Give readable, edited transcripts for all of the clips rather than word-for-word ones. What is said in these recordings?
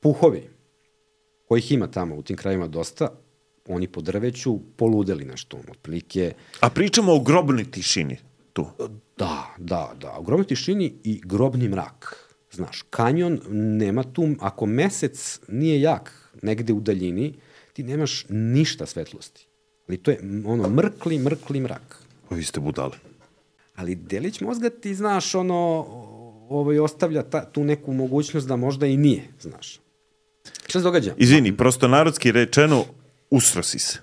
puhovi, kojih ima tamo u tim krajima dosta, oni po drveću poludeli nešto, otprilike. A pričamo o grobnoj tišini tu. Da, o grobnoj tišini i grobni mrak. Znaš, kanjon nema tu, ako mesec nije jak negde u daljini, ti nemaš ništa svetlosti. Ali to je ono mrkli mrak. Vi ste budale. Ali delić mozga ti, znaš, ostavlja tu neku mogućnost da možda i nije, znaš. Šta se događa? Izvini, prosto narodski rečeno, usro si se.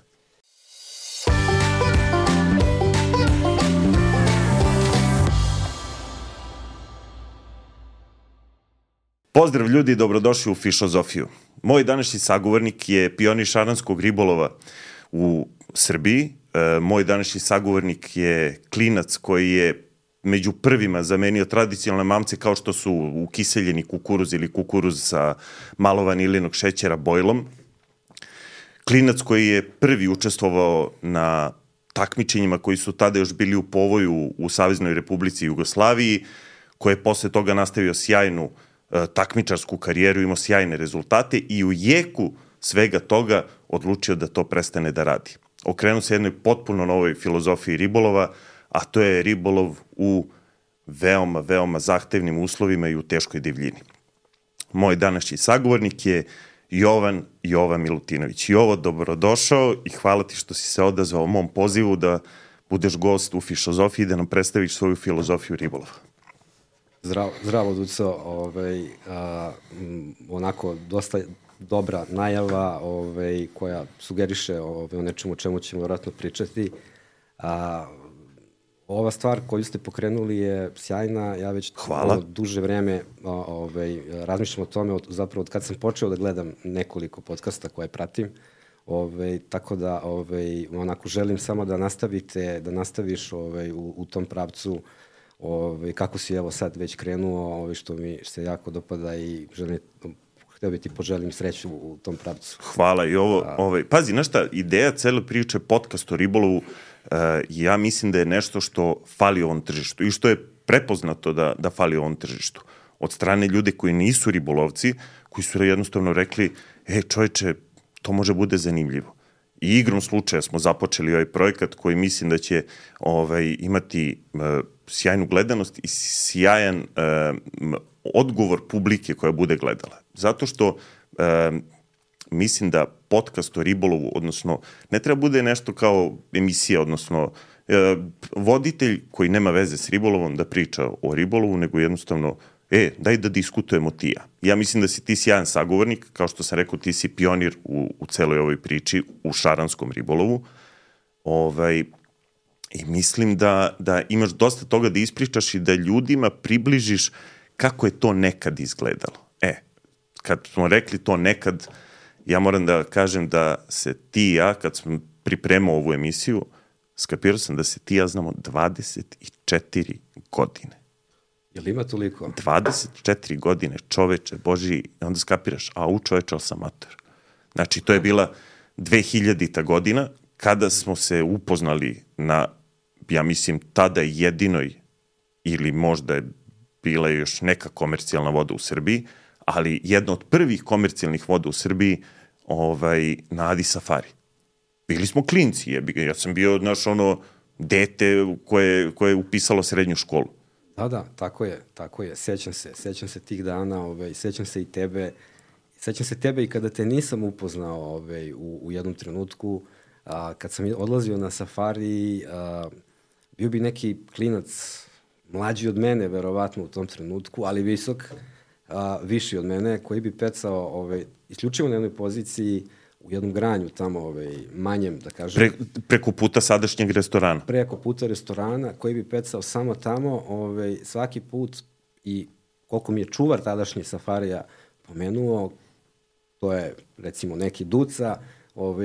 Pozdrav ljudi, dobrodošli u Fišozofiju. Moj današnji sagovornik je pionir šaranskog ribolova u Srbiji. Moj današnji sagovornik je klinac koji je među prvima zamenio tradicionalne mamce kao što su ukiseljeni kukuruz ili kukuruz sa malo vanilinog šećera bojlom. Klinac koji je prvi učestvovao na takmičenjima koji su tada još bili u povoju u Saveznoj Republici Jugoslaviji, koji je posle toga nastavio sjajnu takmičarsku karijeru, imao sjajne rezultate i u jeku svega toga odlučio da to prestane da radi. Okrenuo se jednoj potpuno novoj filozofiji ribolova, a to je ribolov u veoma zahtevnim uslovima i u teškoj divljini. Moj današnji sagovornik je Jovan Milutinović. Jovo, dobrodošao i hvala ti što si se odazvao mom pozivu da budeš gost u Fišozofiji i da nam predstaviš svoju filozofiju ribolova. Zdravo, Duco. Onako, dosta dobra najava koja sugeriše o nečemu o čemu ćemo vjerojatno pričati. Ova stvar koju ste pokrenuli je sjajna. Ja već duže vreme razmišljam o tome, zapravo od kad sam počeo da gledam nekoliko podcasta koje pratim. Tako da onako želim samo da nastaviš u tom pravcu kako si evo sad već krenuo, što mi se jako dopada i htio bi ti poželim sreću u tom pravcu. Hvala i pazi, znaš šta, ideja cele priče podcast o ribolovu, ja mislim da je nešto što fali ovom tržištu i što je prepoznato da fali ovom tržištu. Od strane ljude koji nisu ribolovci, koji su jednostavno rekli, čoveče, to može bude zanimljivo. I igrom slučaja smo započeli ovaj projekat koji mislim da će imati sjajnu gledanost i sjajan odgovor publike koja bude gledala. Zato što mislim da podcast o ribolovu, odnosno ne treba bude nešto kao emisija, odnosno voditelj koji nema veze s ribolovom da priča o ribolovu, nego jednostavno daj da diskutujemo ti ja. Ja mislim da si ti sjajan sagovornik, kao što sam rekao, ti si pionir u celoj ovoj priči, u šaranskom ribolovu. I mislim da imaš dosta toga da ispričaš i da ljudima približiš kako je to nekad izgledalo. Kad smo rekli to nekad, ja moram da kažem da se ti i ja, kad sam pripremao ovu emisiju, skapirao sam da se ti i ja znamo 24 godine. Jel ima toliko? 24 godine, čoveče, Boži, onda skapiraš, čoveče, ali sam amator. Znači, to je bila 2000-ta godina, kada smo se upoznali na, ja mislim, tada jedinoj, ili možda je bila još neka komercijalna voda u Srbiji, ali jedna od prvih komercijalnih voda u Srbiji na Adi Safari. Bili smo klinci, ja sam bio, dete koje je upisalo srednju školu. Da, tako je. Sećam se tih dana, sećam se i tebe. Sećam se tebe i kada te nisam upoznao u jednom trenutku. Kad sam odlazio na safari, bio bi neki klinac mlađi od mene, verovatno u tom trenutku, ali visok, viši od mene, koji bi pecao isključivo na jednoj poziciji u jednom granju tamo, manjem, da kažem. Preko puta sadašnjeg restorana. Preko puta restorana, koji bi pecao samo tamo, svaki put, i koliko mi je čuvar tadašnji safarija pomenuo, to je, recimo, neki Duca,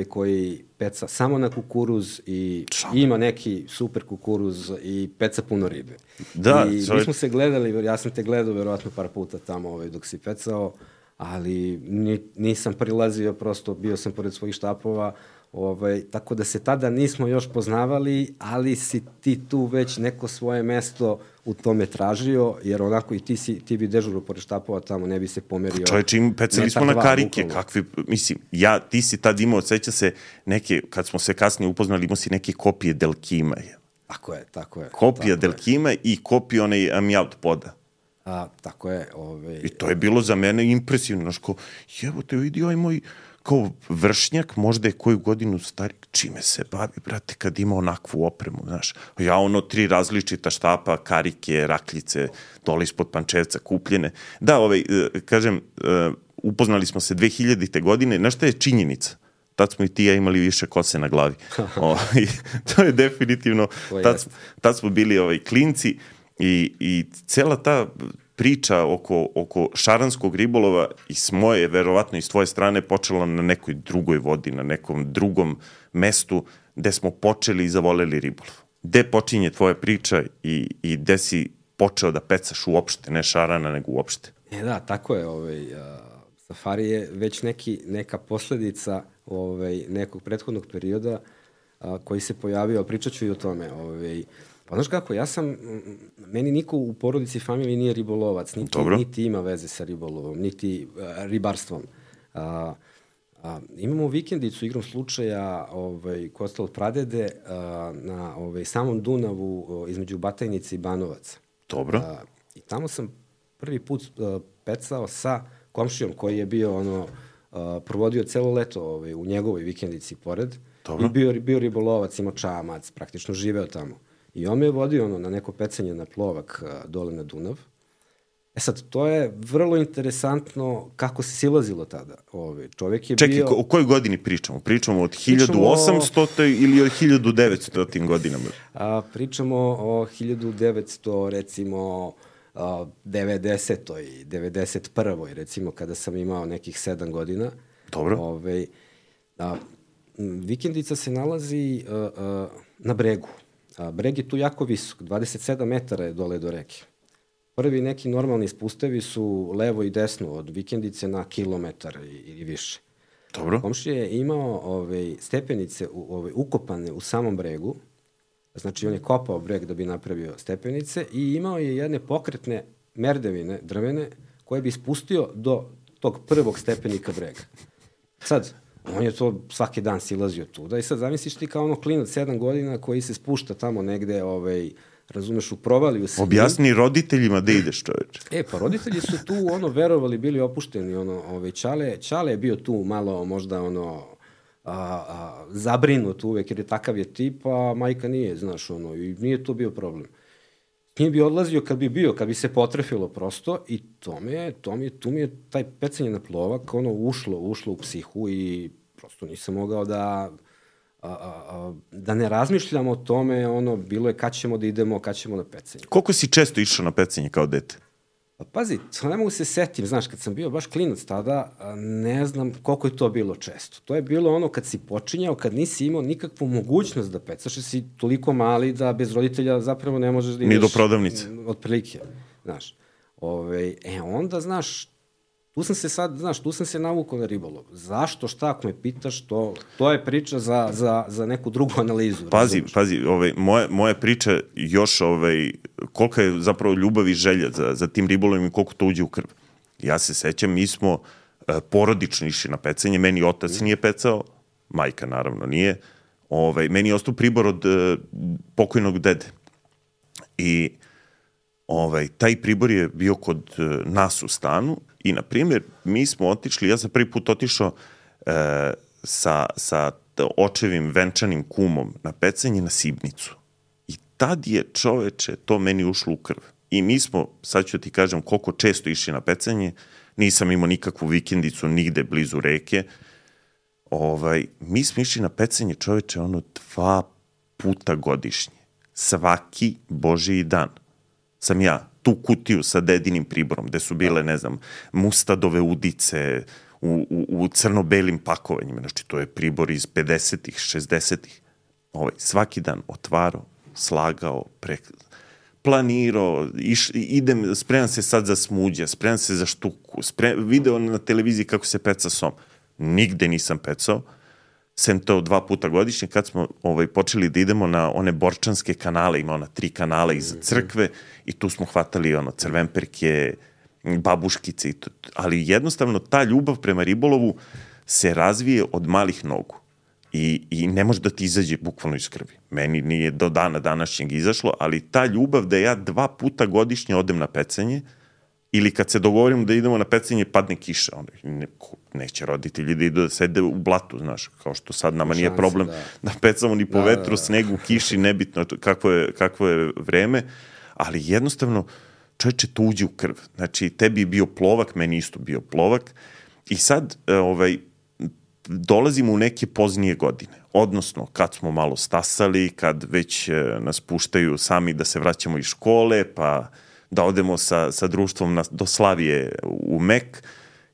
koji peca samo na kukuruz i ima neki super kukuruz i peca puno ribe. Da, I mi smo se gledali, ja sam te gledao verovatno par puta tamo dok si pecao, ali nisam prilazio, prosto bio sam pored svojih štapova, tako da se tada nismo još poznavali, ali si ti tu već neko svoje mesto u tome tražio, jer onako i ti bi dežurao pored štapova tamo, ne bi se pomerio. Čovječe, pecali smo na karike, kakvi, mislim, ti si tad imao, seća se neke, kad smo se kasnije upoznali, imao si neke kopije Delkima. Tako je. Kopija Delkima i kopija onaj Amjaut poda. Tako je. I to je bilo za mene impresivno, znaš, ko, te vidi ovaj moj, kao vršnjak, možda je koju godinu stari, čime se bavi, brate, kad ima onakvu opremu, znaš. Ja 3 različita štapa, karike, rakljice, dole ispod Pančevca, kupljene. Da, kažem, upoznali smo se 2000. godine, znaš šta je činjenica? Tad smo i ti ja imali više kose na glavi. To je definitivno, tad smo bili klinci i cela ta priča oko šaranskog ribolova i s moje, verovatno i s tvoje strane, počela na nekoj drugoj vodi, na nekom drugom mestu gde smo počeli i zavoleli ribolov. Gde počinje tvoja priča i gde si počeo da pecaš uopšte, ne šarana, nego uopšte? Da, tako je. Safari je već neka posledica nekog prethodnog perioda koji se pojavio, pričat ću i o tome. Pa znaš kako, meni niko u porodici i familiji nije ribolovac, niti ima veze sa ribolovom, niti ribarstvom. Imamo vikendicu, igrom slučaja, koja je ostala od pradede, na samom Dunavu, između Batajnice i Banovaca. Dobro. I tamo sam prvi put pecao sa komšijom koji je bio provodio celo leto u njegovoj vikendici pored. Dobro. I bio ribolovac, imao čamac, praktično živeo tamo. I on me je vodio na neko pecanje na plovak dole na Dunav. Sad, to je vrlo interesantno kako se silazilo tada. Čovjek je bio... Čekaj, o kojoj godini pričamo? Pričamo od 1800 ili od 1900 godinama? Pričamo o 1900, recimo, 90. i 91. recimo, kada sam imao nekih 7 godina. Dobro. Vikendica se nalazi na bregu. Breg je tu jako visok, 27 metara je dole do reke. Prvi neki normalni spustevi su levo i desno od vikendice na kilometar i više. Dobro. Komšija je imao stepenice ukopane u samom bregu, znači on je kopao breg da bi napravio stepenice i imao je jedne pokretne merdevine drvene koje bi spustio do tog prvog stepenika brega. Sad, on je to svaki dan silazio tuda i sad zamisliš ti kao klinac 7 godina koji se spušta tamo negde, razumeš, u provaliju s njim. Objasni roditeljima da ideš, čoveče. Pa roditelji su tu, verovali, bili opušteni, Čale je bio tu malo možda, zabrinut uvek, jer je takav je tip, a majka nije, znaš, i nije to bio problem. Nije bi odlazio kad bi se potrefilo prosto i tu mi je taj pecanje na plovak, ušlo u psihu i prosto nisam mogao da ne razmišljam o tome, bilo je kad ćemo da idemo, kad ćemo na pecanje. Koliko si često išao na pecanje kao dete? Pa pazi, ne mogu se setim, znaš, kad sam bio baš klinac tada, ne znam koliko je to bilo često. To je bilo kad si počinjao, kad nisi imao nikakvu mogućnost da pecaš, jer si toliko mali da bez roditelja zapravo ne možeš da ideš... Ni do prodavnice. Otprilike, znaš. Onda, znaš, tu sam se navukao na ribolov. Zašto, šta, ako me pitaš, to je priča za neku drugu analizu. Pazi, moja priča još, kolika je zapravo ljubav i želja za tim ribolovom i koliko to uđe u krv. Ja se sećam, mi smo porodično išli na pecanje, meni otac nije pecao, majka naravno nije, meni je ostao pribor od pokojnog dede. I taj pribor je bio kod nas u stanu i, na primjer, mi smo otišli, ja sam prvi put otišao sa očevim venčanim kumom na pecanje na Sibnicu. I tad je, čoveče, to meni ušlo u krv. I mi smo, sad ću ti kažem koliko često išli na pecanje, nisam imao nikakvu vikendicu nigde blizu reke. Mi smo išli na pecanje, čoveče, 2 puta godišnje. Svaki Božiji dan sam ja tu kutiju sa dedinim priborom, gde su bile, ne znam, mustadove udice u crno-belim pakovanjima. Znači, to je pribor iz 50-ih, 60-ih. Svaki dan otvarao, slagao, planirao, spremam se sad za smuđe, spremam se za štuku, video na televiziji kako se peca som. Nigde nisam pecao, sem to 2 puta godišnje, kad smo počeli da idemo na one borčanske kanale, ima ona 3 kanala iza crkve i tu smo hvatali crvenperke, babuškice, ali jednostavno ta ljubav prema ribolovu se razvije od malih nogu i ne može da ti izađe bukvalno iz krvi. Meni nije do dana današnjeg izašlo, ali ta ljubav da ja 2 puta godišnje odem na pecanje ili kad se dogovorimo da idemo na pecanje padne kiša, neće roditelji da idu da sede u blatu, znaš, kao što sad nama nije problem da pecamo ni po vetru, snegu, kiši, nebitno kakvo je vreme, ali jednostavno čoveče, to uđe u krv. Znači, tebi je bio plovak, meni isto bio plovak i sad dolazimo u neke poznije godine. Odnosno, kad smo malo stasali, kad već nas puštaju sami da se vraćamo iz škole, pa da odemo sa društvom do Slavije u Mek,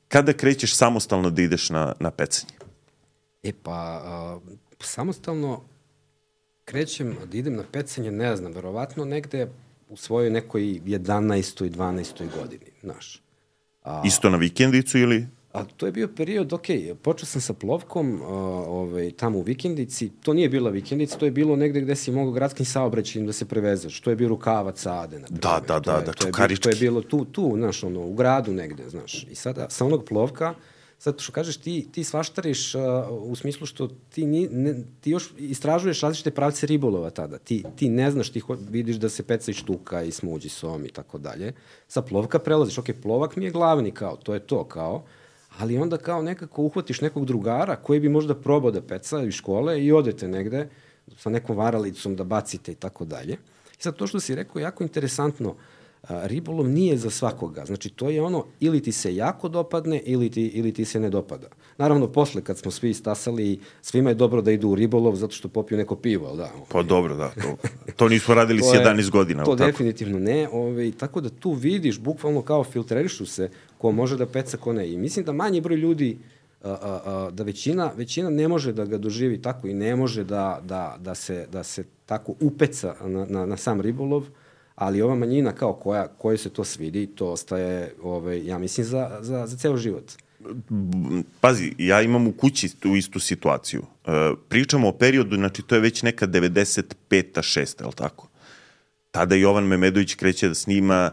kada krećeš samostalno da ideš na pecanje? Samostalno krećem da idem na pecanje, ne znam, verovatno negde u svojoj nekoj 11. i 12. godini, znaš. Isto na vikendicu ili? To je bio period, počeo sam sa plovkom tamo u vikendici, to nije bila vikendica, to je bilo negde gde si mogao gradskim saobraćajem da se prevezeš, to je bio Rukavac, Ade, na primjer. Da, Čukarički. To je bilo tu, znaš, u gradu negde, znaš. I sada, sa onog plovka, sad što kažeš, ti svaštariš u smislu što ti još istražuješ različite pravce ribolova tada. Ti ne znaš, ti vidiš da se peca i štuka i smuđi som i tako dalje. Sa plovka prelaziš, plovak mi je glavni kao, to je to kao, ali onda kao nekako uhvatiš nekog drugara koji bi možda probao da peca iz škole i odete negde sa nekom varalicom da bacite i tako dalje. I sad to što si rekao je jako interesantno, ribolov nije za svakoga. Znači, to je ono, ili ti se jako dopadne, ili ti se ne dopada. Naravno, posle, kad smo svi stasali, svima je dobro da idu u ribolov, zato što popiju neko pivo, ali da. Pa dobro, da. To nismo radili s 11 godina. To definitivno ne. Tako da tu vidiš, bukvalno kao filtrerišu se ko može da peca, ko ne. I mislim da manji broj ljudi, da većina ne može da ga doživi tako i ne može da se tako upeca na sam ribolov, ali ova manjina kao koja se to svidi, to ostaje, ja mislim, za ceo život. Pazi, ja imam u kući tu istu situaciju. Pričamo o periodu, znači to je već neka 95. 6. je li tako? Tada Jovan Memedović kreće da snima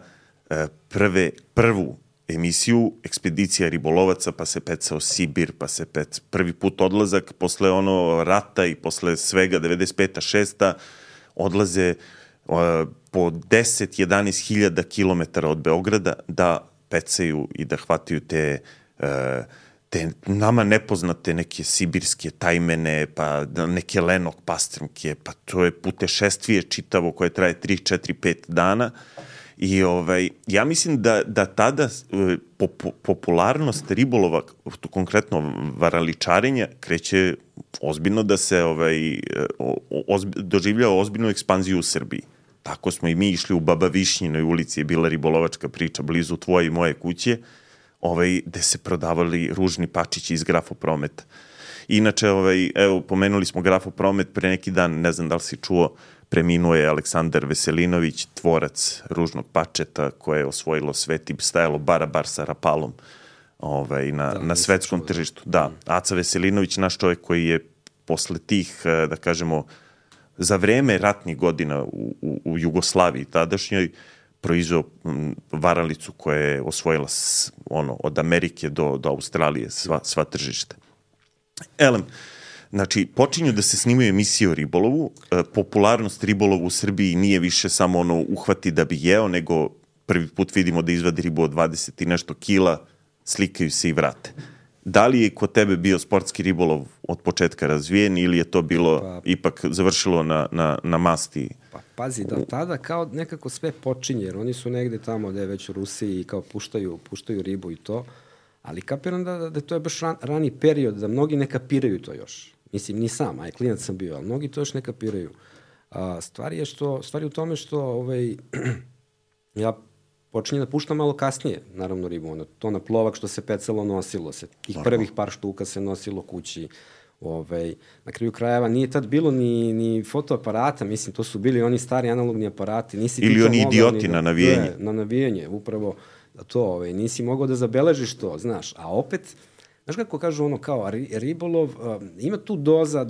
prvu emisiju Ekspedicija ribolovaca, pa se pecao Sibir, pa se prvi put odlazak, posle rata i posle svega 95. 6. odlaze po 10-11 hiljada kilometara od Beograda da pecaju i da hvataju te nama nepoznate neke sibirske tajmene, pa neke lenok pastrmke, pa to je putešestvije čitavo koje traje 3, 4, 5 dana. I ja mislim da tada popularnost ribolova, konkretno varaličarenja, kreće ozbiljno da se doživljava ozbiljnu ekspanziju u Srbiji. Tako smo i mi išli u Baba Višnjinoj ulici, je bila ribolovačka priča blizu tvoje i moje kuće, gde se prodavali ružni pačići iz Grafoprometa. Inače, evo, pomenuli smo Grafopromet pre neki dan, ne znam da li si čuo, preminuo je Aleksandar Veselinović, tvorac ružnog pačeta koje je osvojilo svet i stajalo bar sa Rapalom na svetskom tržištu. Da, Aca Veselinović, naš čovjek koji je posle tih, da kažemo, za vreme ratnih godina u Jugoslaviji tadašnjoj proizveo varalicu koja je osvojila od Amerike do Australije sva tržišta. Elem, znači, počinju da se snimaju emisije o ribolovu, popularnost ribolova u Srbiji nije više samo uhvati da bi jeo, nego prvi put vidimo da izvadi ribu od 20 i nešto kila, slikaju se i vrate. Da li je kod tebe bio sportski ribolov od početka razvijen ili je to bilo ipak završilo na masti? Pa pazi, da tada kao nekako sve počinje, jer oni su negde tamo gde je već u Rusiji i kao puštaju ribu i to, ali kapiram da to je baš rani period, da mnogi ne kapiraju to još. Mislim, ni sam, a klinac sam bio, ali mnogi to još ne kapiraju. Stvar je u tome što ja počinjem da puštam malo kasnije, naravno ribu, to na plovak što se pecalo nosilo se. Tih prvih par štuka se nosilo kući. Na kraju krajeva nije tad bilo ni fotoaparata, mislim, to su bili oni stari analogni aparati. Ili oni idioti na navijenje. Na navijenje, upravo to, nisi mogao da zabeležiš to, znaš. A opet, znaš kako kažu ono kao ribolov, ima tu doza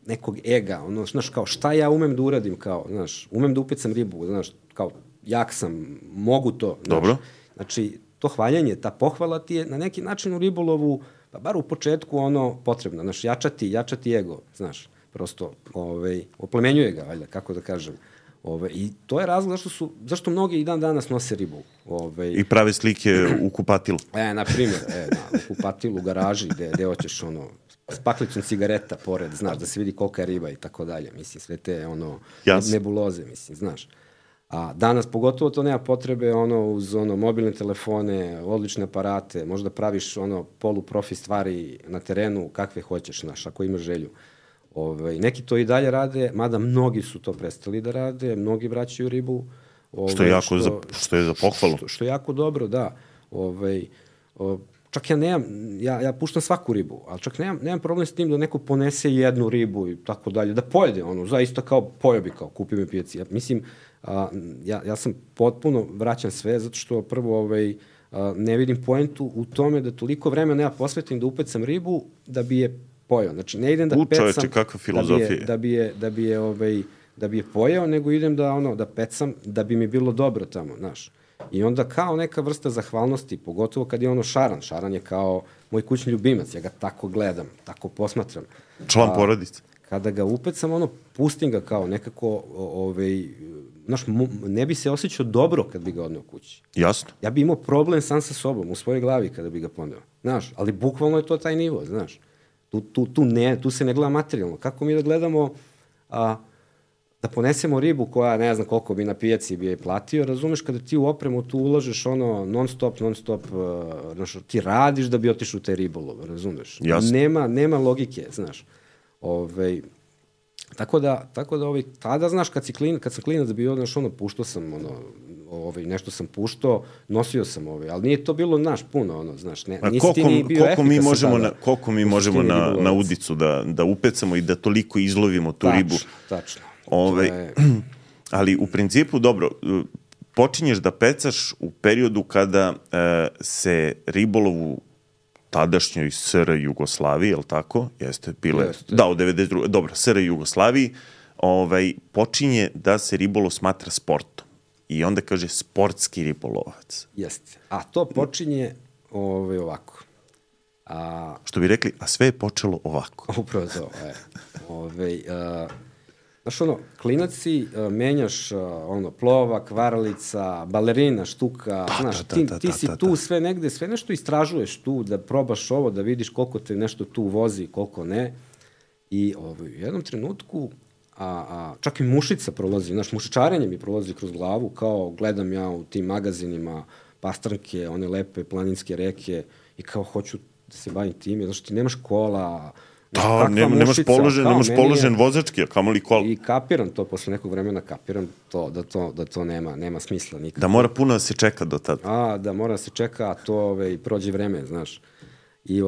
nekog ega, ono, znaš, kao šta ja umem da uradim, kao, znaš, umem da upecam ribu, znaš, kao, jak sam, mogu to, znaš. Dobro. Znači, to hvaljanje, ta pohvala ti je na neki način u ribolovu, pa bar u početku, ono, potrebno, znaš, jačati ego, znaš, prosto, oplemenjuje ga, valjda, kako da kažem. I to je razlog zašto mnogi i dan danas nose ribu. I prave slike u kupatilu. Na primjer, u kupatilu, u garaži, gde hoćeš, ono, s paklicom cigareta pored, znaš, da se vidi kolika je riba i tako dalje. Mislim, sve te, nebuloze, mislim, znaš. A danas pogotovo to nema potrebe, uz mobilne telefone, odlične aparate, možda praviš, poluprofi stvari na terenu kakve hoćeš, znaš, ako imaš želju. Neki to i dalje rade, mada mnogi su to prestali da rade, mnogi vraćaju ribu. Što je za pohvalu. Što je jako dobro, da. Čak ja puštam svaku ribu, ali čak nemam problem s tim da neko ponese jednu ribu i tako dalje, da pojede, zaista kao pojeo bi, kao kupi mi pijaci. Mislim, ja sam potpuno vraćam sve, zato što prvo ne vidim poentu u tome da toliko vremena ja posvetim da upecam ribu da bi je pojeo. Znači, ne idem da pecam čoveče, kakva filozofija. Da bi je pojeo, nego idem da pecam da bi mi bilo dobro tamo, znaš. I onda kao neka vrsta zahvalnosti, pogotovo kad je šaran. Šaran je kao moj kućni ljubimac, ja ga tako gledam, tako posmatram. Član porodice. Kada ga upecam, pustim ga kao nekako, znaš, ne bi se osjećao dobro kad bi ga odneo kući. Jasno. Ja bi imao problem sam sa sobom, u svojoj glavi kada bi ga poneo. Znaš, ali bukvalno je to taj nivo, znaš. Tu se ne gleda materijalno. Kako mi da gledamo, da ponesemo ribu koja ne znam koliko bi na pijaci bi je platio, razumeš, kada ti u opremu tu ulažeš non stop, znaš, ti radiš da bi otišao u taj ribolov, razumeš. Jasno. Nema logike, znaš. Tako da tada, znaš, kad sam klinac bio, znaš, puštao sam, nešto sam puštao, nosio sam, ali nije to bilo, znaš, puno, znaš, nisi ti ni bio efikasan tada. Koliko mi možemo na udicu da upecamo i da toliko izlovimo tu ribu? Tačno. Ali u principu, dobro, počinješ da pecaš u periodu kada se ribolov u tadašnjoj SR Jugoslaviji, je li tako? Jeste, bile, da, u 92. Dobro, SR Jugoslaviji, počinje da se ribolov smatra sportom. I onda kaže sportski ribolovac. Jeste. A to počinje ovako. Što bi rekli, a sve je počelo ovako. Upravo to. Znaš, klinac si, menjaš, plovak, varalica, balerina, štuka, znaš, ti si tu sve negde, sve nešto istražuješ tu, da probaš ovo, da vidiš koliko te nešto tu vozi, koliko ne. I u jednom trenutku, čak i mušica prolazi, znaš, mušičarenje mi prolazi kroz glavu, kao gledam ja u tim magazinima pastranke, one lepe planinske reke i kao hoću da se bavim tim, znaš, ti nemaš kola, da, nemaš položen vozački, a kamoli kola. I kapiram to, posle nekog vremena kapiram to, da to nema smisla nikako. Da mora puno da se čeka do tada. Da mora da se čeka, a to prođe vreme, znaš. I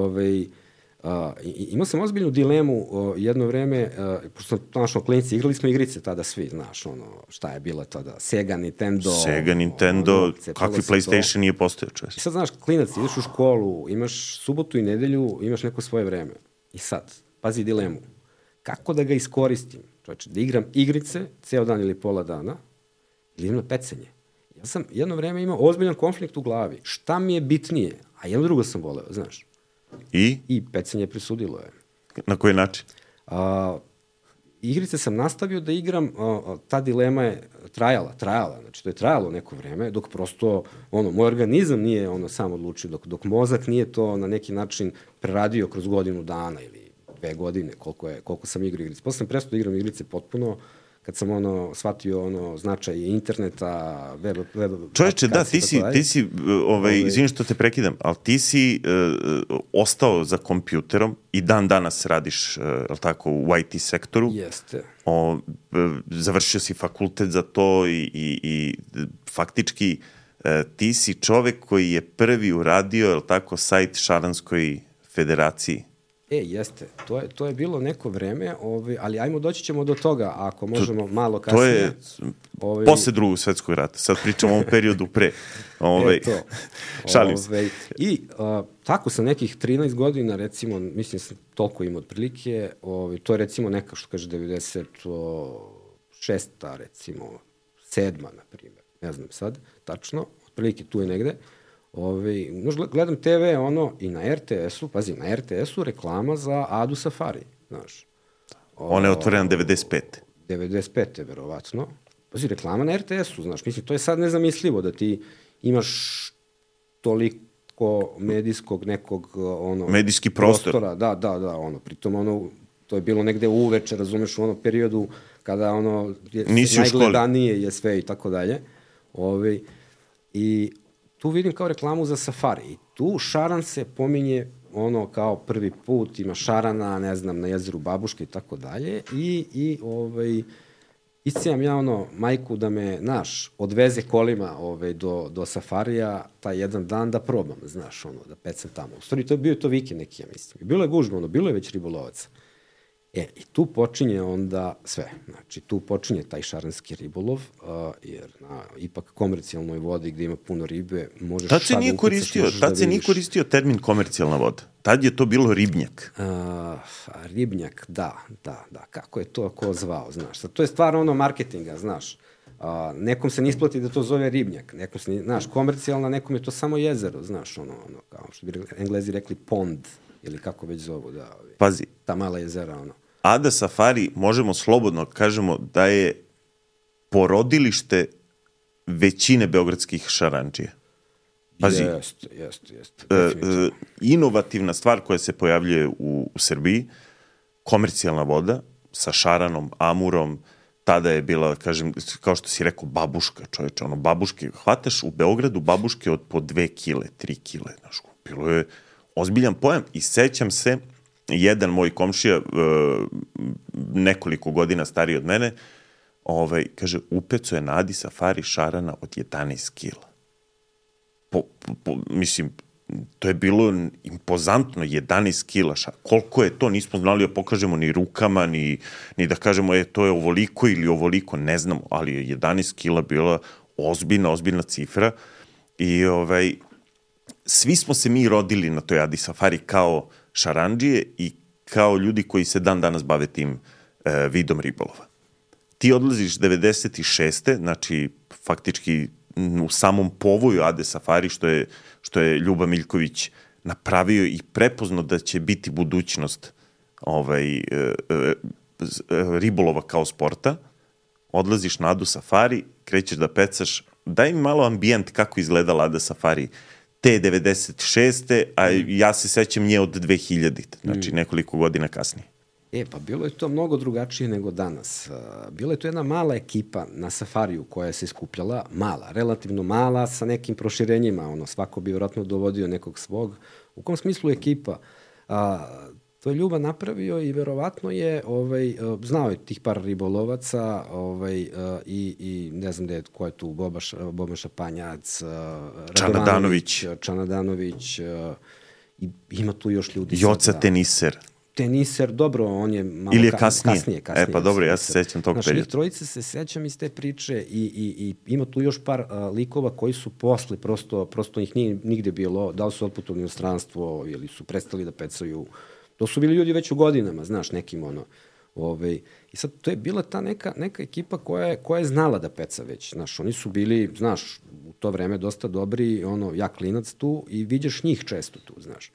imao sam ozbiljnu dilemu jedno vreme, pošto sam našao klinici, igrali smo igrice tada svi, znaš, šta je bilo tada, Sega, Nintendo, kakvi PlayStation nije postojao, čovječ. I sad, znaš, klinac, ideš u školu, imaš subotu i nedelju, imaš neko svoje vreme. I sad, pazi dilemu, kako da ga iskoristim, čovječe, da igram igrice ceo dan ili pola dana, ili idem na pecanje. Ja sam jedno vreme imao ozbiljan konflikt u glavi, šta mi je bitnije, a jedno drugo sam voleo, znaš. I pecanje presudilo je. Na koji način? Igrice sam nastavio da igram, ta dilema je trajala, znači to je trajalo neko vreme, dok prosto, moj organizam nije sam odlučio, dok mozak nije to na neki način preradio kroz godinu dana ili 2 godine, koliko sam igrao igrice. Posle sam prestao da igram igrice potpuno, kad sam shvatio značaj interneta, web čovječe, da, ti si izvini što te prekidam, ali ti si ostao za kompjuterom i dan danas radiš, je li tako, u IT sektoru. Jeste. Završio si fakultet za to i faktički ti si čovek koji je prvi uradio, je li tako, sajt Šaranskoj federaciji. Jeste. To je bilo neko vreme, ali ajmo doći ćemo do toga, ako možemo malo kasnije. To je posle Drugog svetskog rata. Sad pričamo o ovom periodu pre. Šalim se. I tako sa nekih 13 godina, recimo, mislim sam toliko im otprilike, to je recimo neka, što kaže, 96. recimo, 7. na primjer. Ne znam sad, tačno, otprilike tu je negde. Gledam TV i na RTS-u, pazi, na RTS-u reklama za Adu Safari, znaš. Ona je otvorena 95. 95. verovatno. Pazi, reklama na RTS-u, znaš, mislim, to je sad nezamislivo da ti imaš toliko medijskog nekog, medijski prostor. Da, pritom, to je bilo negde uveče, razumeš, u periodu kada, najgledanije je sve i tako dalje. I tu vidim kao reklamu za Safari. I tu šaran se pominje kao prvi put, ima šarana, ne znam, na jezeru Babuške i tako dalje. I iscijam ja majku da me, odveze kolima do Safarija taj jedan dan da probam, znaš, da pecam tamo. U stvari, to je bio to vikend neki, ja mislim. Bilo je gužba, bilo je već ribolovaca. I tu počinje onda sve. Znači, tu počinje taj šaranski ribolov, jer na ipak komercijalnoj vodi gde ima puno ribe, možeš sad da ukrcaš, možeš da vidiš. Tad se nije koristio termin komercijalna voda. Tad je to bilo ribnjak. Ribnjak, da. Kako je to ko zvao, znaš. Sad, to je stvar marketinga, znaš. Nekom se ne isplati da to zove ribnjak. Nekom se, znaš, komercijalna, nekom je to samo jezero, znaš, kao što bi Englezi rekli pond, ili kako već zovu, da. Pazi. Ta mala jezera, Ada Safari, možemo slobodno kažemo da je porodilište većine beogradskih šarandžija. Pazi, jeste. Inovativna stvar koja se pojavljuje u Srbiji, komercijalna voda sa šaranom, amurom, tada je bila, kažem, kao što si rekao, babuška, čoveče, babuške, hvataš u Beogradu babuške od po 2 kile, 3 kile, znaš, bilo je ozbiljan pojam i sećam se, jedan moj komšija, nekoliko godina stariji od mene, kaže, upeco je na Adi Safari šarana od 11 kila. Mislim, to je bilo impozantno, 11 kila šarana. Koliko je to, nismo znali da pokažemo ni rukama, ni da kažemo, to je ovoliko ili ovoliko, ne znamo, ali je 11 kila bila ozbiljna cifra i svi smo se mi rodili na toj Adi Safari kao šarandžije i kao ljudi koji se dan danas bave tim vidom ribolova. Ti odlaziš 96. Znači, faktički u samom povoju Ade Safari, što je Ljuba Miljković napravio i prepoznao da će biti budućnost ribolova kao sporta, odlaziš na Adu Safari, krećeš da pecaš, daj mi malo ambijent kako izgledala Ada Safari te 96. a ja se sećam nje od 2000. Znači nekoliko godina kasnije. Pa bilo je to mnogo drugačije nego danas. Bila je to jedna mala ekipa na Safariju koja se skupljala, relativno mala, sa nekim proširenjima, svako bi vjerojatno dovodio nekog svog. U kom smislu ekipa? To je Ljuba napravio i verovatno je, znao je tih par ribolovaca i ne znam ko je tu, Boban Šapanjac, Čanadanović, i ima tu još ljudi. Joca Teniser. Teniser, dobro, on je malo ili je kasnije. Pa dobro, ja se sećam tog perioda. Njih trojice se sećam iz te priče i ima tu još par likova koji su posle, prosto ih nije nigde bilo, da li su otputovali u inostranstvo ili su prestali da pecaju. To su bili ljudi već u godinama, znaš, nekim I sad, to je bila ta neka ekipa koja je znala da peca već, znaš, oni su bili, znaš, u to vreme dosta dobri, ja klinac tu i vidiš njih često tu, znaš.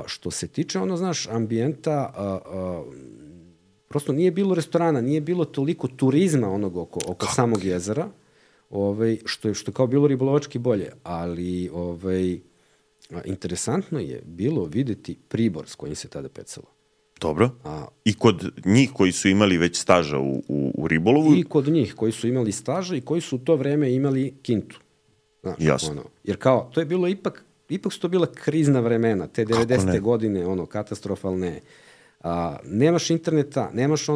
Što se tiče, znaš, ambijenta, prosto nije bilo restorana, nije bilo toliko turizma oko samog jezera, što je kao bilo ribolovački bolje, ali interesantno je bilo videti pribor s kojim se tada pecalo. Dobro. I kod njih koji su imali već staža u ribolovu? I kod njih koji su imali staža i koji su u to vreme imali kintu. Znaš, jasno. Jer kao, to je bilo ipak su to bila krizna vremena, te 90. godine, katastrofalne. Nemaš interneta, nemaš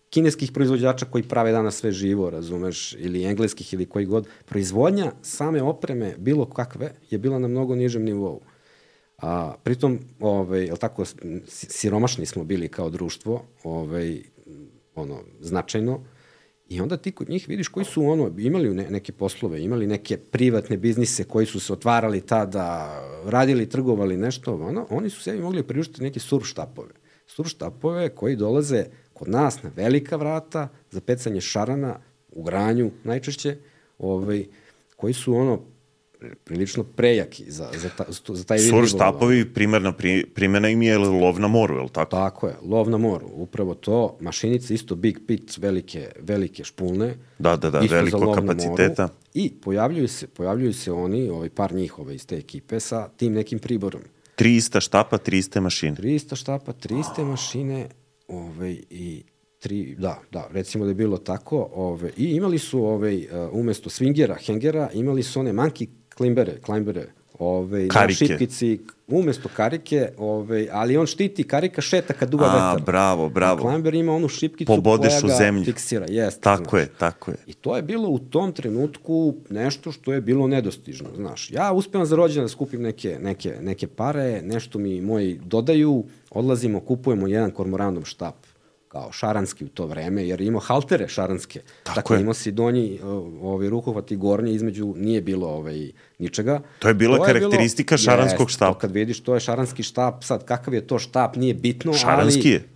kineskih proizvođača koji prave danas sve živo, razumeš, ili engleskih ili koji god. Proizvodnja same opreme, bilo kakve, je bila na mnogo nižem nivou. Pritom, jel tako, siromašni smo bili kao društvo, značajno, i onda ti kod njih vidiš koji su imali neke poslove, imali neke privatne biznise koji su se otvarali tada, radili, trgovali nešto, oni su sebi mogli priuštiti neke surf štapove. Surf štapove koji dolaze kod nas na velika vrata za pecanje šarana u granju najčešće, koji su prilično prejaki za taj vid ribolova. Surf štapovi, primjena im je lov na moru, je li tako? Tako je, lov na moru, upravo to. Mašinice isto big pit, velike špulne. Da, veliko kapaciteta. I pojavljuju se oni, par njih iz te ekipe sa tim nekim priborom. 300 štapa, 300 mašine. 300 štapa, 300 mašine, i recimo da je bilo tako, i imali su umesto swingera, hengera, imali su one monkey climbere, šipkici, umesto karike, ali on štiti, karika šeta kad duva vetar. Bravo. Climber ima onu šipkicu Pobodeš koja u zemlju. Fiksira. Tako je. I to je bilo u tom trenutku nešto što je bilo nedostižno, znaš. Ja uspevam za rođendan da skupim neke pare, nešto mi moji dodaju, odlazimo, kupujemo jedan kormoranov štap, kao šaranski u to vreme, jer imao haltere šaranske. Tako imao si donji rukohvat i gornji, između nije bilo ničega. To je bila karakteristika šaranskog štapa. To kad vidiš, to je šaranski štap, sad kakav je to štap, nije bitno,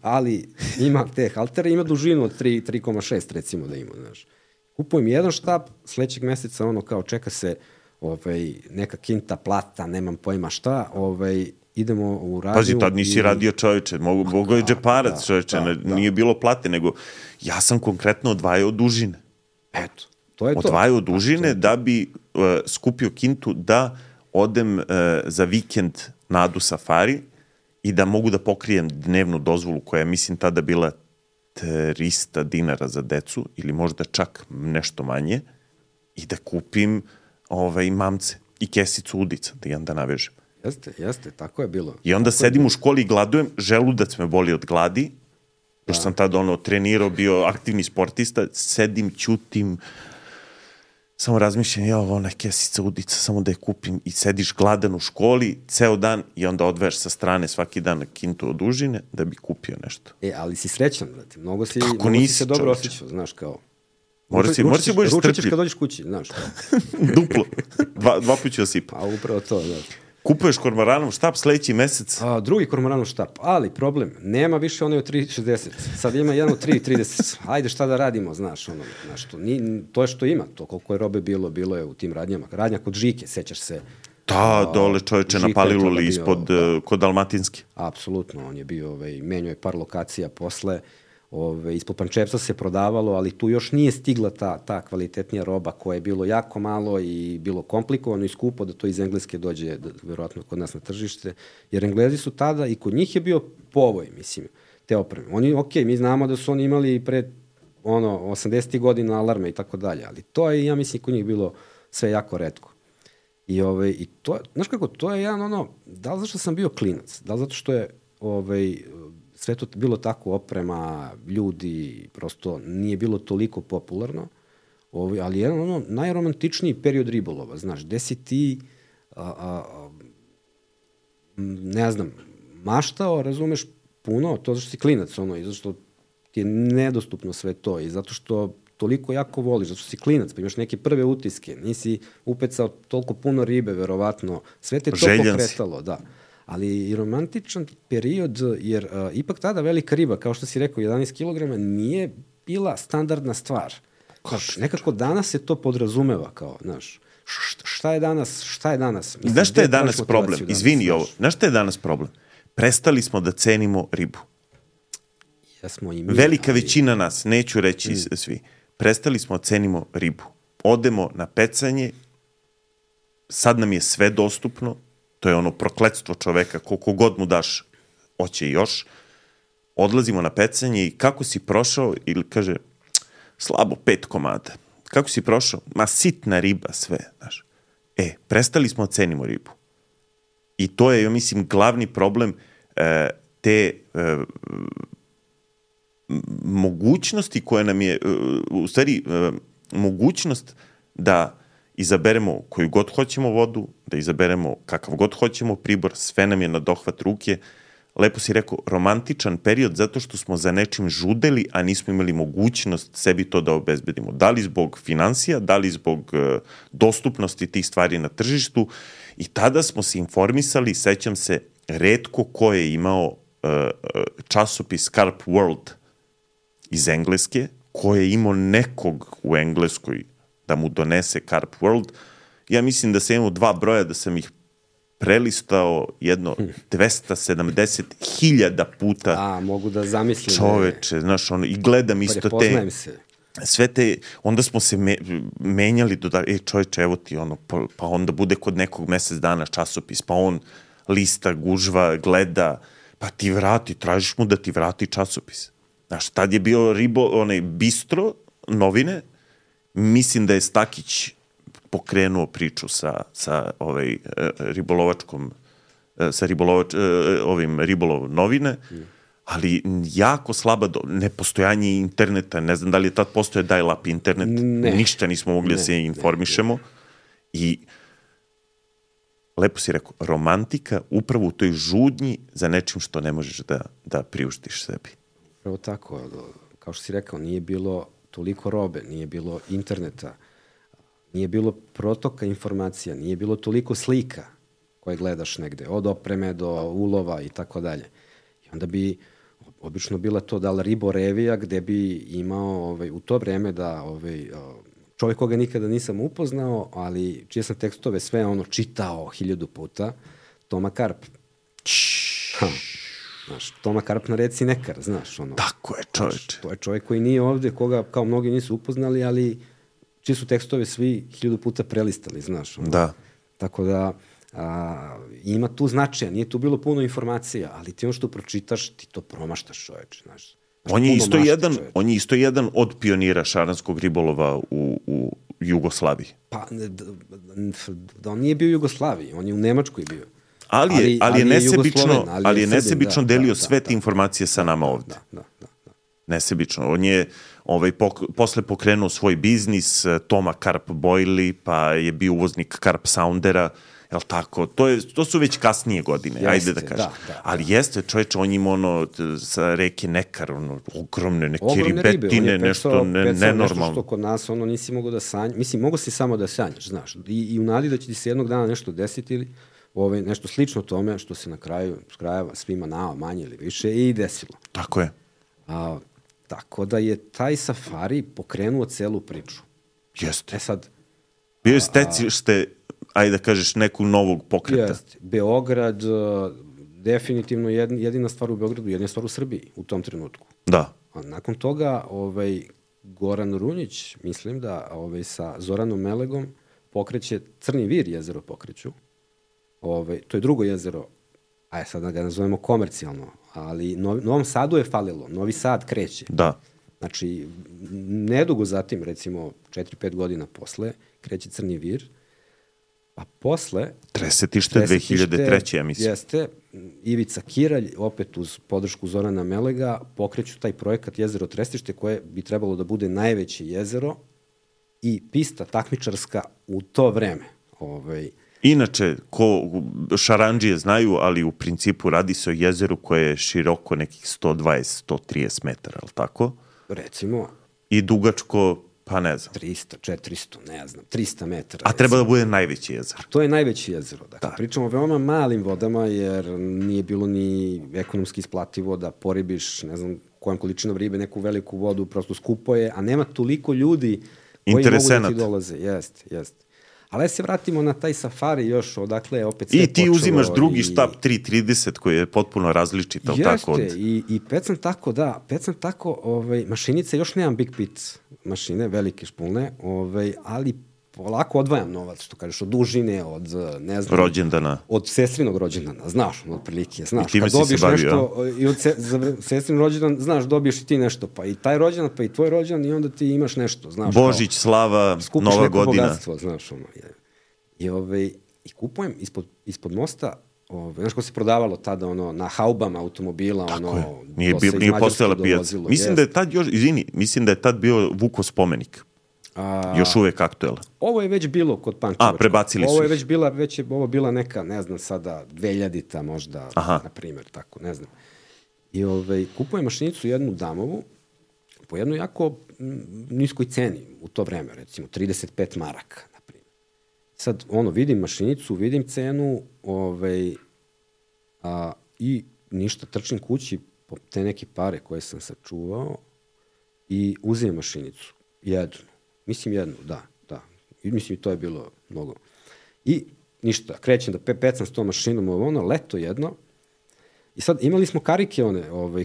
ali ima te haltere, ima dužinu od 3,6 recimo da ima, znaš. Kupujem jedan štap, sledećeg meseca kao čeka se neka kinta, plata, nemam pojma šta, idemo u radiju. Pazi, tad nisi radio, čoveče, mogo je džeparac, čoveče, nije bilo plate, nego ja sam konkretno odvajao dužine. Eto, to je to. Odvajao dužine da bi skupio kintu da odem za vikend na Adu Safari i da mogu da pokrijem dnevnu dozvolu koja je, mislim, tada bila 300 dinara za decu ili možda čak nešto manje i da kupim mamce i kesicu udica, da jedan da navežem. Jeste, tako je bilo. I onda sedim u školi i gladujem, želudac me boli od gladi, još sam tada trenirao, bio aktivni sportista, sedim, ćutim, samo razmišljam, ona kesica udica, samo da je kupim, i sediš gladan u školi ceo dan i onda odveš sa strane svaki dan na kintu od užine da bi kupio nešto. Ali si srećan, brate, mnogo si se dobro osjećao, znaš, kao. Moraš si budeš strpljiv. Ručaćeš kad dođeš kući, znaš. Duplo. Dva puća osipa. A upravo to, da. Kupuješ kormoranov štap sledeći mesec? Drugi kormoranov štap, ali problem, nema više onaj od 3,60. Sad ima jedan od 3,30. Ajde, šta da radimo, znaš, to je što ima, to koliko je robe bilo je u tim radnjama. Radnja kod Žike, sećaš se. Da, dole čoveče na Paliluli ispod, kod Dalmatinske. Apsolutno, on je bio, menjao je par lokacija posle, ispod Pančevca se prodavalo, ali tu još nije stigla ta kvalitetnija roba koja je bilo jako malo i bilo komplikovano i skupo da to iz Engleske dođe, verovatno kod nas na tržište, jer Englezi su tada i kod njih je bio povoj, mislim, te opreme. Oni, mi znamo da su oni imali pre 80. godina alarme i tako dalje, ali to je, ja mislim, kod njih bilo sve jako retko. I to, znaš kako, to je jedan da li zato što sam bio klinac, da li zato što je sve to bilo tako, oprema, ljudi, prosto nije bilo toliko popularno, ali jedan najromantičniji period ribolova, znaš, gde si ti, ne znam, maštao, razumeš, puno, to zašto si klinac, i zato što ti je nedostupno sve to, i zato što toliko jako voliš, zato što si klinac, pa imaš neke prve utiske, nisi upecao toliko puno ribe, verovatno, sve te to pokretalo, da. Ali i romantičan period, jer ipak tada velika riba, kao što si rekao, 11 kg, nije bila standardna stvar. Nekako danas se to podrazumeva kao, znaš, šta je danas? Znaš šta je danas problem? Izvini ovo. Znaš šta je danas problem? Prestali smo da cenimo ribu. Velika većina nas, neću reći svi, prestali smo da cenimo ribu. Odemo na pecanje, sad nam je sve dostupno, to je prokletstvo čoveka, koliko god mu daš, hoće još. Odlazimo na pecanje i kako si prošao, ili kaže, slabo 5 komada. Kako si prošao? Ma sitna riba sve, znaš. Prestali smo da cenimo ribu. I to je, ja mislim, glavni problem te mogućnosti koje nam je, u stvari, mogućnost da izaberemo koju god hoćemo vodu, da izaberemo kakav god hoćemo pribor, sve nam je na dohvat ruke. Lepo si rekao, romantičan period zato što smo za nečim žudeli, a nismo imali mogućnost sebi to da obezbedimo. Da li zbog financija, da li zbog dostupnosti tih stvari na tržištu. I tada smo se informisali, sećam se, retko ko je imao časopis Carp World iz Engleske, ko je imao nekog u Engleskoj da mu donese Carp World. Ja mislim da sam imao 2 broja, da sam ih prelistao jedno 270.000 puta. A, mogu da zamislim. Čoveče, znaš, ono, i gledam isto te... Sve te, onda smo se menjali, čoveče, evo ti ono, pa onda bude kod nekog mesec dana časopis, pa on lista, gužva, gleda, pa ti vrati, tražiš mu da ti vrati časopis. Znaš, tad je bio Bistro, novine, mislim da je Stakić pokrenuo priču sa ribolov novine, ali jako slaba nepostojanje interneta, ne znam da li je tad postoje dial-up internet, ništa nismo mogli da se informišemo i lepo si rekao, romantika upravo u toj žudnji za nečim što ne možeš da priuštiš sebi. Pravo tako, kao što si rekao, nije bilo toliko robe, nije bilo interneta, nije bilo protoka informacija, nije bilo toliko slika koje gledaš negde, od opreme do ulova i tako dalje. I onda bi obično bila to da li riborevija gde bi imao u to vreme da čovjek koga nikada nisam upoznao, ali čije sam tekstove sve čitao 1000 puta, Toma Karp. Znaš, Toma Karp na reci Nekar, znaš. Tako je, čovječe. To je čovjek koji nije ovde, koga kao mnogi nisu upoznali, ali čiji su tekstove svi 1000 puta prelistali, znaš. Da. Tako da ima tu značaja, nije tu bilo puno informacija, ali ti ono što pročitaš, ti to promaštaš, čoveče, znaš. On je isto jedan od pionira šaranskog ribolova u Jugoslaviji. Pa, da on nije bio u Jugoslaviji, on je u Nemačkoj bio. Ali je nesebično delio sve te informacije sa nama ovde. Da. Nesebično. On je posle pokrenuo svoj biznis, Toma Karp Boily, pa je bio uvoznik Karp Soundera, jel tako? To su već kasnije godine, ajde da kažem. Ali jeste, čovječe, on ima sa reke Nekar, ogromne neke ribetine, nešto nenormalno. Nešto što kod nas nisi mogao da sanjaš. Mislim, mogo si samo da sanjaš, znaš. I u nadi da će ti se jednog dana nešto desiti ili nešto slično tome što se na kraju krajeva svima nama manje ili više i desilo. Tako je. Tako da je taj safari pokrenuo celu priču. Jeste. Sad... Bio je stecište, ajde da kažeš, nekog novog pokreta. Jeste. Beograd, definitivno jedina stvar u Beogradu, jedina stvar u Srbiji u tom trenutku. Da. A nakon toga, Goran Runjić, mislim da sa Zoranom Melegom pokreće Crni Vir jezero pokreću. To je drugo jezero, sad da ga nazovemo komercijalno, ali Novom Sadu je falilo, Novi Sad kreće. Da. Znači, nedugo zatim, recimo 4-5 godina posle, kreće Crni Vir, a posle... Tresetište 2003. ja mislim. Jeste, Ivica Kiralj, opet uz podršku Zorana Melega, pokreću taj projekat Jezero Trestište, koje bi trebalo da bude najveće jezero i pista takmičarska u to vreme. Inače, šarandžije znaju, ali u principu radi se o jezeru koje je široko nekih 120-130 metara, ali tako? Recimo. I dugačko, pa ne znam. 300, 400, ne znam, 300 metara. A treba da bude najveće jezero. To je najveće jezero. Dakle, pričamo o veoma malim vodama, jer nije bilo ni ekonomski isplativo da poribiš, ne znam, kojom količinom ribe, neku veliku vodu, prosto skupo je, a nema toliko ljudi koji mogu da ti dolaze. Jeste. Ali se vratimo na taj safari još, odakle je opet sve počelo. I ti uzimaš drugi štab 330 koji je potpuno različit, ali tako? Jeste, i pecam tako, mašinice, još nemam Big Pit mašine, velike špulne, ali polako odvajam novac, što kažeš, od dužine, od, ne znam... Rođendana. Od sestrinog rođendana, znaš, otprilike, znaš. I time si se bavio. I od sestrin rođendan, znaš, dobiješ i ti nešto, pa i taj rođendan, pa i tvoj rođendan, i onda ti imaš nešto, znaš. Božić, slava, Nova godina. Bogatstvo, znaš, I kupujem ispod mosta znaš ko se prodavalo tada, ono, na haubama automobila, Tako ono, je. Nije postojala pijaca. Mislim da je tad mislim da je tad bio Vukov spomenik. Još uvek aktuelan. Ovo je već bilo kod Pančevačkog. Prebacili su Ovo je već ovo bila neka, ne znam sada, 2000-ta možda, na primjer, tako, ne znam. I kupujem mašinicu jednu damovu, po jednoj jako niskoj ceni u to vreme, recimo 35 maraka, na primjer. Sad, vidim mašinicu, vidim cenu, i ništa, trčim kući po te neke pare koje sam sačuvao i uzimam mašinicu. Jednu. Mislim jednu, da. I mislim, to je bilo mnogo. I ništa, krećem da pecam s tom mašinom, leto jedno. I sad imali smo karike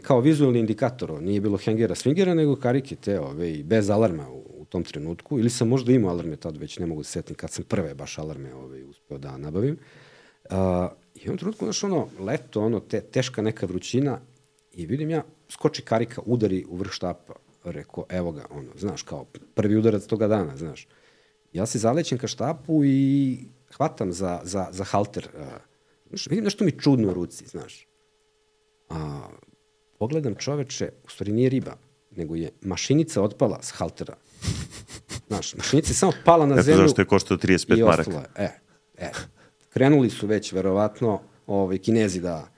kao vizualni indikator, nije bilo hengera, swingera, nego karike te, bez alarma u tom trenutku. Ili sam možda imao alarme tad, već ne mogu da setim kad sam prve baš alarme uspeo da nabavim. I u jednom trenutku, leto, teška neka vrućina i vidim ja, skoči karika, udari u vrh štapa. Rekao, evo ga, znaš, kao prvi udarac toga dana, znaš. Ja se zalećem ka štapu i hvatam za halter. Vidim nešto mi čudno u ruci, znaš. Pogledam, čoveče, u stvari nije riba, nego je mašinica otpala s haltera. Znaš, mašinica je samo pala na zemlju. Zašto je koštao 35 maraka? Krenuli su već, verovatno, Kinezi da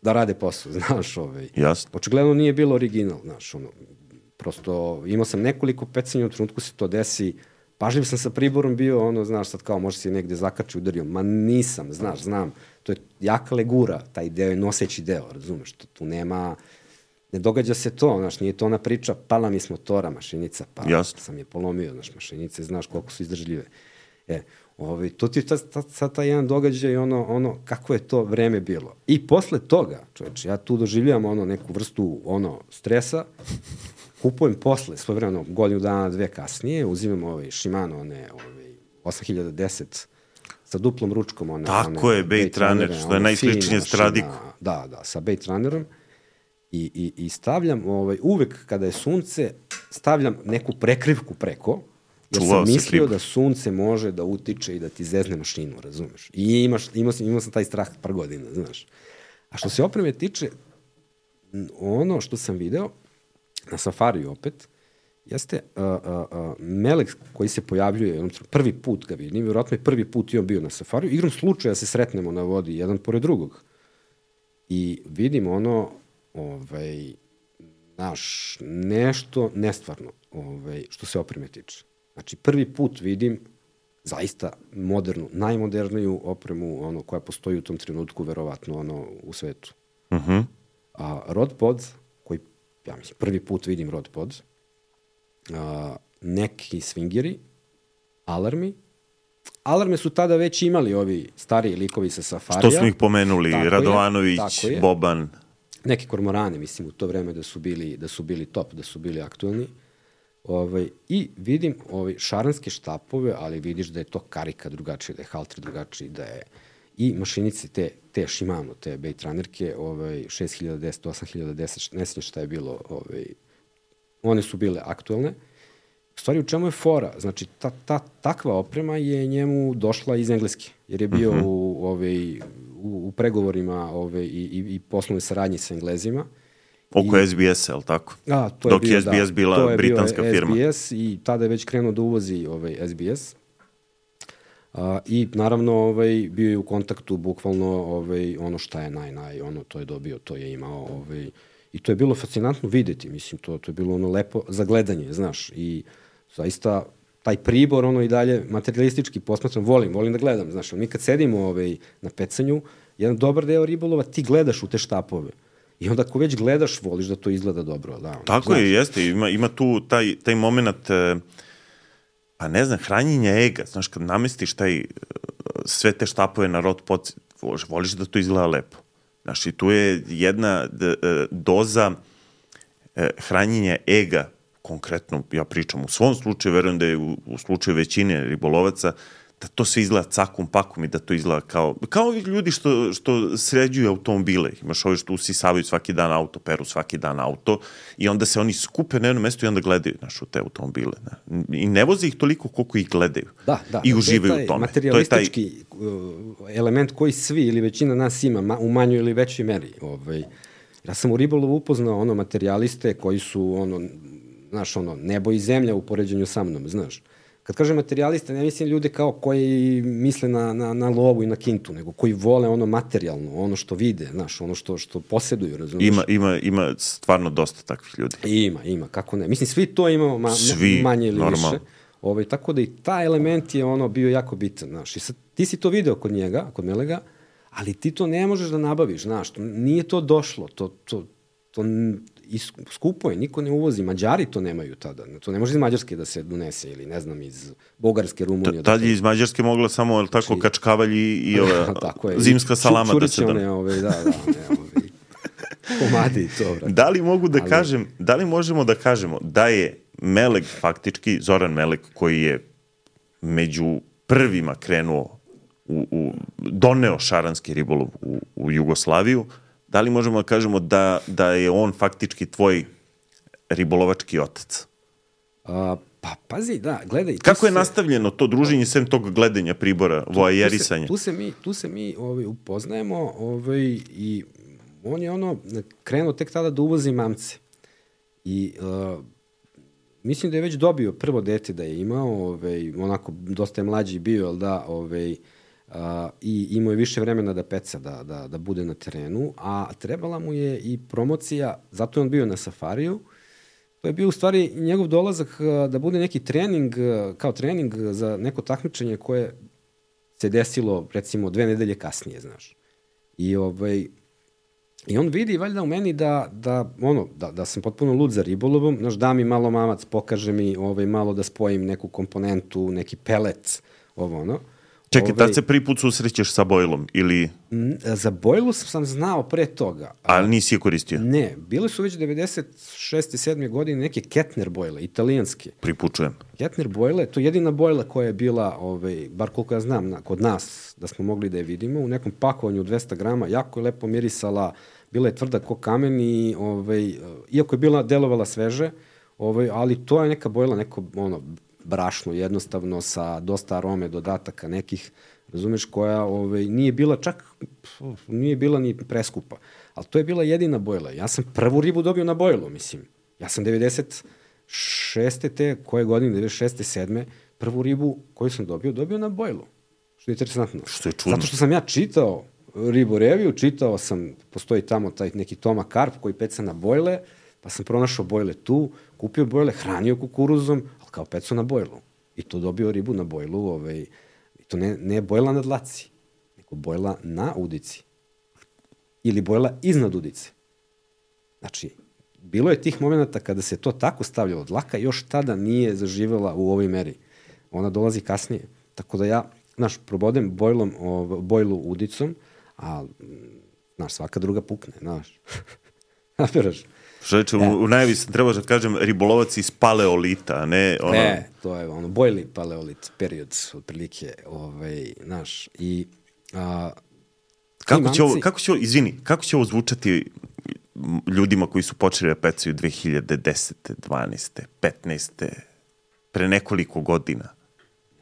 rade posao, znaš. Jasno. Očigledno nije bilo original, znaš, prosto imao sam nekoliko pecanja, u trenutku se to desi, pažljiv sam sa priborom bio, znaš, sad kao može se negde zakači, udario, ma nisam, znaš, znam, to je jaka legura, taj deo je noseći deo, razumeš, tu nema, ne događa se to, znaš, nije to ona priča, pala mi s motora mašinica, pa sam je polomio, znaš, mašinice, znaš koliko su izdržljive. To ti je sad taj jedan događaj, kako je to vreme bilo. I posle toga, čovječe, ja tu doživljam neku vrstu stresa, kupujem posle, svojevremeno, godinu dana, 2 kasnije, uzimam Shimano, 8010 sa duplom ručkom. Tako je, Bait Runner, što je najsličnije Stradiku. Da, sa Bait Runnerom. I stavljam, uvek kada je sunce, stavljam neku prekrivku preko, jer sam mislio da sunce može da utiče i da ti zezne mašinu, razumeš? I imao sam taj strah par godina, znaš. A što se opreme tiče, ono što sam video, na safariju opet, jeste melek koji se pojavljuje, prvi put ga vidim, vjerojatno je prvi put i on bio na safariju, igrom slučaja se sretnemo na vodi, jedan pored drugog. I vidim znaš, nešto nestvarno, što se opreme tiče. Znači, prvi put vidim zaista modernu, najmoderniju opremu koja postoji u tom trenutku, verovatno, u svetu. A Rodpod, koji, ja mislim, prvi put vidim Rodpod, neki swingeri, alarmi. Alarme su tada već imali ovi stariji likovi sa safarija. Što smo ih pomenuli, Radovanović, Boban. Neki kormorani, mislim, u to vreme da su bili top, da su bili aktuelni. I vidim šaranske štapove, ali vidiš da je to karika drugačije, da je halter drugačiji, da je i mašinice te Shimano, te Bait Runnerke, 6010, 8010, ne znam šta je bilo, one su bile aktuelne. U stvari, u čemu je fora? Znači, takva oprema je njemu došla iz Engleske, jer je bio u pregovorima i poslovnoj saradnji sa Englezima. Oko SBS-a, je li tako? Dok je SBS bila britanska firma. To je bio SBS i tada je već krenuo da uvozi SBS. I naravno bio je u kontaktu bukvalno ono šta je to je dobio, to je imao. I to je bilo fascinantno videti, mislim, to je bilo lepo za gledanje, znaš. I zaista taj pribor, i dalje materialistički posmatram, volim da gledam, znaš. Mi kad sedimo na pecanju, jedan dobar deo ribolova ti gledaš u te štapove. I onda ako već gledaš, voliš da to izgleda dobro. Tako je, jeste. Ima tu taj moment, pa ne znam, hranjenja ega. Znaš, kad namestiš sve te štapove na Rodpod, voliš da to izgleda lepo. Znaš, i tu je jedna doza hranjenja ega, konkretno, ja pričam u svom slučaju, verujem da je u slučaju većine ribolovaca, da to sve izgleda cakum pakum i da to izgleda kao ovi ljudi što sređuju automobile. Imaš ovi što usisavaju svaki dan auto, peru svaki dan auto i onda se oni skupe na jedno mesto i onda gledaju u te automobile. Ne? I ne voze ih toliko koliko ih gledaju. I uživaju u tome. Materialistički element koji svi ili većina nas ima u manjoj ili većoj meri. Ja sam u ribolovu upoznao materijaliste koji su nebo i zemlja u poređenju sa mnom, znaš. Kad kažem materijaliste, ne mislim ljude kao koji misle na lovu i na kintu, nego koji vole materijalno, ono što vide, znaš, ono što posjeduju, razumiješ? Ima stvarno dosta takvih ljudi. Ima, kako ne. Mislim, svi to imamo manje ili više. Tako da i ta element je bio jako bitan, znaš. I sad, ti si to video kod njega, kod Melega, ali ti to ne možeš da nabaviš, znaš. Nije to došlo, to skupo je, niko ne uvozi, Mađari to nemaju tada, to ne može iz Mađarske da se donese ili ne znam iz Bugarske, Rumunije. Tad je iz Mađarske mogla samo tako kačkavalj i zimska salama da se komadi i to. Da li možemo da kažemo da je Meleg faktički, Zoran Meleg koji je među prvima krenuo doneo šaranski ribolov u Jugoslaviju, da li možemo da kažemo da je on faktički tvoj ribolovački otac? Pa pazi, da, gledaj. Kako je nastavljeno to druženje sem tog gledanja pribora, voajerisanja? Tu se mi upoznajemo i on je krenuo tek tada da uvozi mamce. I mislim da je već dobio prvo dete da je imao, onako dosta je mlađi bio, ali da, i imao je više vremena da peca, da bude na terenu, a trebala mu je i promocija, zato je on bio na safariju. To je bio u stvari njegov dolazak da bude neki trening, kao trening za neko takmičenje koje se desilo recimo 2 nedelje kasnije, znaš. I on vidi valjda u meni da sam potpuno lud za ribolovom, znaš, da mi malo mamac, pokaže mi malo da spojim neku komponentu, neki pelet, Čekaj, tad se prvi put susrećeš sa bojlom ili... Za bojlu sam znao pre toga. Ali nisi je koristio? Ne, bile su već 96. 7. godine neke Kettner bojle, italijanske. Pripučujem. Kettner bojle, to je jedina bojla koja je bila, bar koliko ja znam, kod nas, da smo mogli da je vidimo, u nekom pakovanju 200 grama, jako je lepo mirisala, bila je tvrda ko kamen i, iako je bila delovala sveže, ali to je neka bojla, neko, brašno, jednostavno, sa dosta arome, dodataka nekih, razumeš, koja nije bila čak, nije bila ni preskupa. Ali to je bila jedina bojla. Ja sam prvu ribu dobio na bojlu, mislim. Ja sam 96. koje godine, 96. 7. prvu ribu koju sam dobio na bojlu. Što je interesantno. Što je čudno. Zato što sam ja čitao ribu reviju, čitao sam, postoji tamo taj neki Toma Karp koji peca na bojle, pa sam pronašao bojle tu, kupio bojle, hranio kukuruzom, kao peco na bojlu. I to dobio ribu na bojlu, i to ne bojla na dlaci, nego bojla na udici. Ili bojla iznad udice. Znači, bilo je tih momenta kada se to tako stavljalo, dlaka još tada nije zaživela u ovoj meri. Ona dolazi kasnije. Tako da ja, znaš, probodem bojlu udicom, a, znaš, svaka druga pukne, znaš. Napiraš. Šoveče, u najavi sam trebao da kažem ribolovac iz paleolita, a ne ono... Ne, to je bojli paleolit period, otprilike, znaš, i... Kako će ovo zvučati ljudima koji su počeli da pecaju 2010. 12. 15. pre nekoliko godina?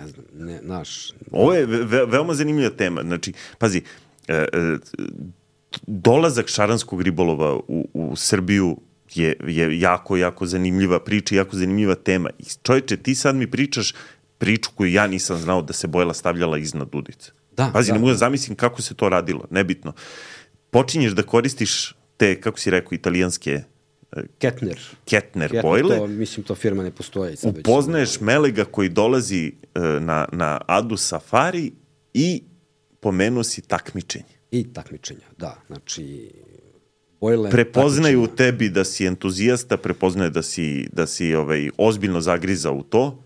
Ne znam, znaš... Ovo je veoma zanimljiva tema, znači, pazi, dolazak šaranskog ribolova u Srbiju je jako, jako zanimljiva priča, jako zanimljiva tema. I čovječe, ti sad mi pričaš priču koju ja nisam znao da se bojla stavljala iznad udice. Pazi, ne mogu da zamislim kako se to radilo, nebitno. Počinješ da koristiš te, kako si rekao, italijanske Kettner bojle. Mislim, to firma ne postoji. Upoznaješ Melega koji dolazi na Adu Safari i pomenuo si takmičenje. I takmičenja, da. Znači, prepoznaju u tebi da si entuzijasta, prepoznaje da si ozbiljno zagrizao u to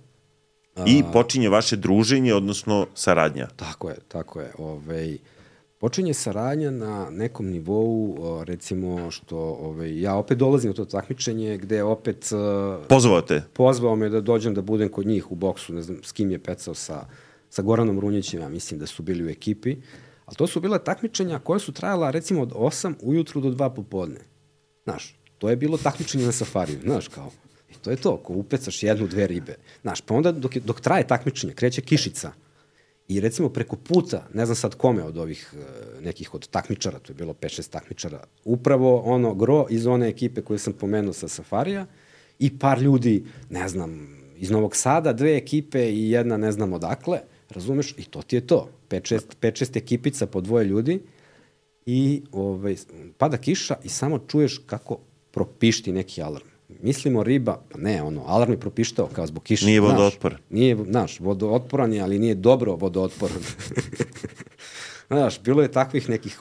i počinje vaše druženje, odnosno saradnja. Tako je. Počinje saradnja na nekom nivou, recimo što ja opet dolazim u to takmičenje gde opet... Pozvao te? Pozvao me da dođem da budem kod njih u boksu, ne znam s kim je pecao sa sa Goranom Runjićem, ja mislim da su bili u ekipi, ali to su bila takmičenja koje su trajala recimo od 8 ujutru do 2 popodne. Znaš, to je bilo takmičenje na safariju, znaš, kao, i to je to, ko upecaš 1-2 ribe. Znaš, pa onda dok traje takmičenje, kreće kišica i recimo preko puta, ne znam sad kome od ovih nekih od takmičara, to je bilo 5-6 takmičara, upravo ono gro iz one ekipe koje sam pomenuo sa safarija i par ljudi, ne znam, iz Novog Sada, 2 ekipe i jedna ne znam odakle, razumeš, i to ti je to. 5-6 ekipica po 2 ljudi i pada kiša i samo čuješ kako propišti neki alarm. Mislimo riba, pa ne, alarm je propištao kao zbog kiše. Nije vodootporan. Nije, znaš, vodootporan je, ali nije dobro vodootporan. Znaš, bilo je takvih nekih,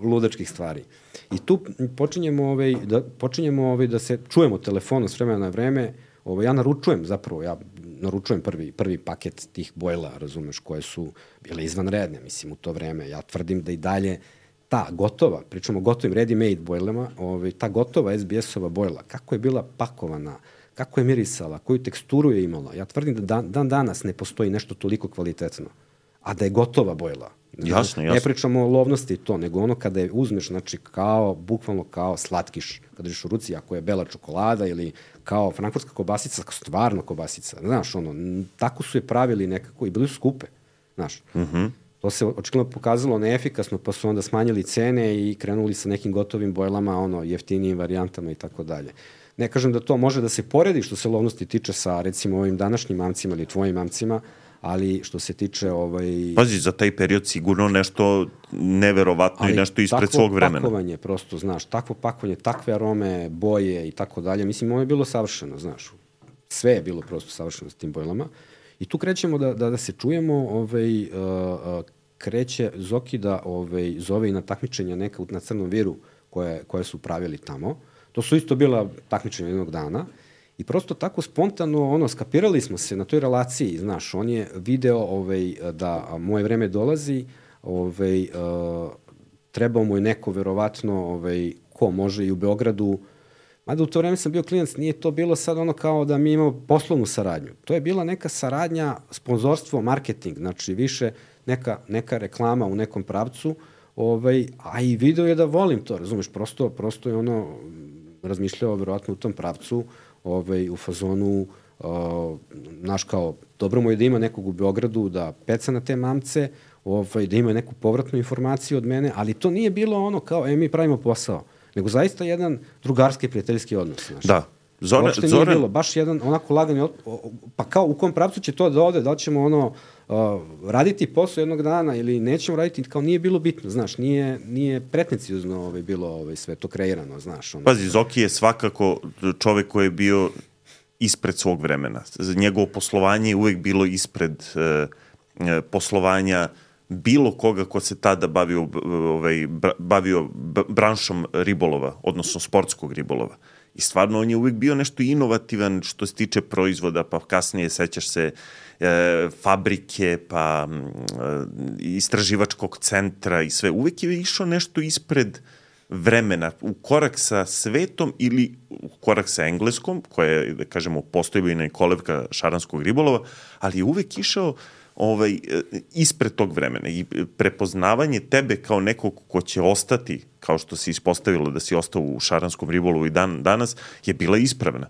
ludačkih stvari. I tu počinjemo da se čujemo telefonom s vremena na vreme. Ja naručujem prvi paket tih bojla, razumeš, koje su bile izvanredne, mislim, u to vreme. Ja tvrdim da i dalje ta gotova, pričamo o gotovim ready-made bojlama, ta gotova SBS-ova bojla, kako je bila pakovana, kako je mirisala, koju teksturu je imala. Ja tvrdim da dan danas ne postoji nešto toliko kvalitetno, a da je gotova bojla. Jasno. Ne pričamo o lovnosti to, nego ono kada je uzmeš, znači bukvalno kao slatkiš, kada držiš u ruci, ako je bela čokolada ili kao frankfurtska kobasica, stvarno kobasica, znaš, tako su je pravili nekako i bili su skupe, znaš. To se očigledno pokazalo neefikasno, pa su onda smanjili cene i krenuli sa nekim gotovim bojlama, jeftinijim varijantama i tako dalje. Ne kažem da to može da se poredi što se lovnosti tiče sa, recimo, ovim današnjim mamcima ili tvojim mamcima, ali što se tiče... Pazi, za taj period sigurno nešto neverovatno i nešto ispred svog vremena. Ali takvo pakovanje, prosto, znaš, takvo pakovanje, takve arome, boje i tako dalje, mislim, ono je bilo savršeno, znaš. Sve je bilo prosto savršeno s tim bojlama. I tu krećemo da se čujemo, kreće Zoki da zove i na takmičenja neka na Crnom Viru koje su pravili tamo. To su isto bila takmičenja jednog dana. I prosto tako spontano, skapirali smo se na toj relaciji, znaš, on je video da moje vreme dolazi, trebao mu je neko, verovatno, ko može i u Beogradu. Mada u to vreme sam bio klinac, nije to bilo sad kao da mi imamo poslovnu saradnju. To je bila neka saradnja, sponzorstvo, marketing, znači više neka reklama u nekom pravcu, a i video je da volim to, razumeš, prosto je razmišljao verovatno u tom pravcu, u fazonu, znaš, kao, dobro mu je da ima nekog u Beogradu da peca na te mamce, da ima neku povratnu informaciju od mene, ali to nije bilo kao, mi pravimo posao, nego zaista jedan drugarski prijateljski odnos. Znaš. Da. Uopšte nije bilo, baš jedan onako lagani, pa kao u kom pravcu će to da ode, da li ćemo raditi posao jednog dana ili nećemo raditi, kao nije bilo bitno, znaš, nije pretniciozno bilo sve to kreirano, znaš. Pazi, Zoki je svakako čovek koji je bio ispred svog vremena. Njegovo poslovanje je uvek bilo ispred poslovanja bilo koga ko se tada bavio branšom ribolova, odnosno sportskog ribolova. I stvarno on je uvek bio nešto inovativan što se tiče proizvoda, pa kasnije sećaš se fabrike, pa istraživačkog centra i sve. Uvek je išao nešto ispred vremena, u korak sa svetom ili u korak sa engleskom, koja je, da kažemo, postojbina i kolevka šaranskog ribolova, ali je uvek išao ispred tog vremena i prepoznavanje tebe kao nekog ko će ostati, kao što se ispostavilo da si ostao u šaranskom ribolovu i danas, je bila ispravna.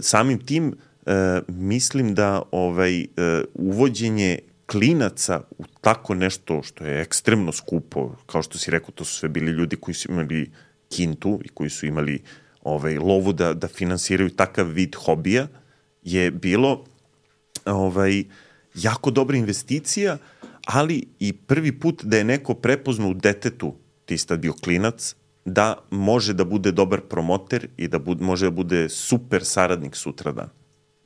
Samim tim mislim da uvođenje klinaca u tako nešto što je ekstremno skupo, kao što si rekao, to su sve bili ljudi koji su imali kintu i koji su imali lovu da finansiraju takav vid hobija, je bilo jako dobra investicija, ali i prvi put da je neko prepoznao u detetu, ti si tad bio klinac, da može da bude dobar promoter i da može da bude super saradnik sutradan.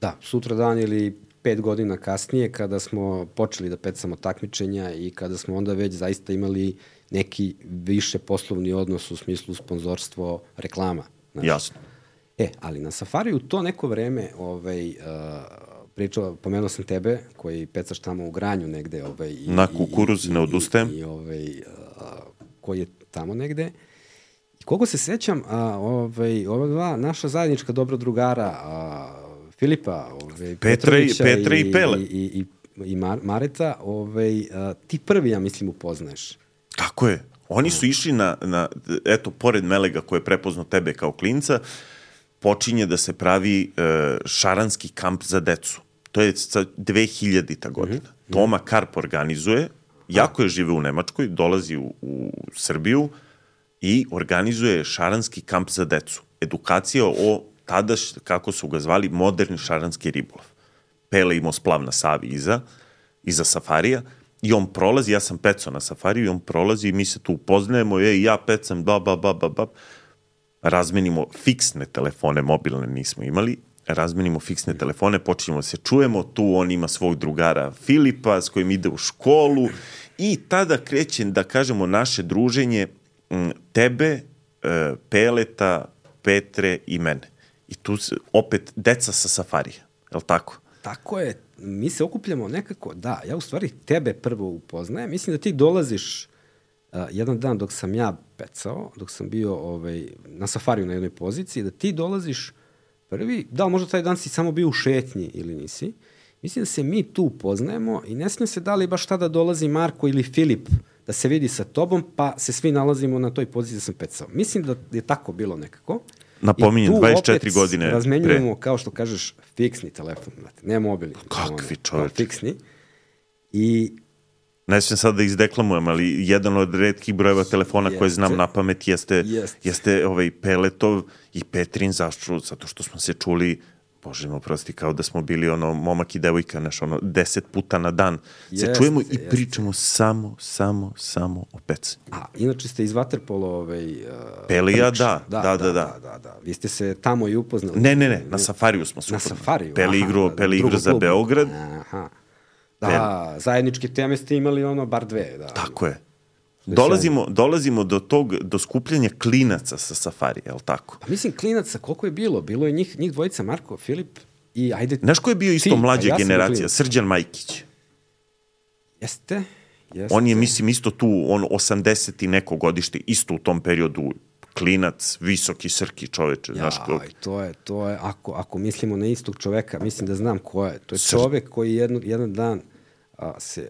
Da, sutradan ili 5 godina kasnije, kada smo počeli da pecamo takmičenja i kada smo onda već zaista imali neki više poslovni odnos u smislu sponzorstvo reklama. Znači. Jasno. Ali na safariju to neko vreme pomenuo sam tebe, koji pecaš tamo u Granju negde. Na kukuruz, ne odustajem. Koji je tamo negde. I koliko se sećam, ova dva naša zajednička dobra drugara, Filipa, Petra i Pele. i Mareta, ti prvi, ja mislim, upoznaješ. Tako je. Oni su išli eto, pored Melega koji je prepoznao tebe kao klinca, počinje da se pravi šaranski kamp za decu. To je 2000. godina. Toma Karp organizuje, jako je žive u Nemačkoj, dolazi u Srbiju i organizuje šaranski kamp za decu. Edukacija o tada, kako su ga zvali, moderni šaranski ribolov. Pele imao splav na Savi iza safarija i on prolazi, ja sam pecao na safariju i on prolazi i mi se tu upoznajemo, ja pecam, razmenimo fiksne telefone, mobilne nismo imali, razmenimo fiksne telefone, počinjemo da se čujemo, tu on ima svog drugara Filipa s kojim ide u školu i tada kreće, da kažemo, naše druženje tebe, Peleta, Petre i mene. I tu opet deca sa safarija, je li tako? Tako je, mi se okupljamo nekako, ja u stvari tebe prvo upoznajem, mislim da ti dolaziš jedan dan dok sam ja pecao, dok sam bio na safariju na jednoj poziciji, da ti dolaziš prvi, da li možda taj dan si samo bio u šetnji ili nisi, mislim da se mi tu upoznajemo i ne smijem se da li baš tada dolazi Marko ili Filip da se vidi sa tobom, pa se svi nalazimo na toj poziciji da sam pecao. Mislim da je tako bilo nekako. Napominjem, 24 godine pre. Razmenjujemo, kao što kažeš, fiksni telefon, ne mobilni. Kakvi čovječ. Fiksni. I ne smijem sad da izdeklamujem, ali jedan od retkih brojeva telefona koje znam na pamet jeste Peletov i Petrin, zašto? Zato što smo se čuli, Bože me oprosti, kao da smo bili momak i devojka, 10 puta na dan. Se čujemo i pričamo samo o pecanju. Inače ste iz vaterpolo Pele i ja, da. Vi ste se tamo i upoznali. Ne, na safariju smo se upoznali. Na safariju? Pele igru za Beograd. Da, zajedničke teme ste imali bar dve. Da. Tako je. Dolazimo do skupljanja klinaca sa safarija, je li tako? Mislim, klinaca, koliko je bilo? Bilo je njih dvojica, Marko, Filip i ajde... Znaš ko je bio isto mlađa generacija? Srđan Majkić. Jeste. On je, mislim, isto tu, 80 i neko godište, isto u tom periodu, klinac, visoki, srki čoveče. To je, ako mislimo na istog čoveka, mislim da znam ko je. To je čovek koji jedan dan se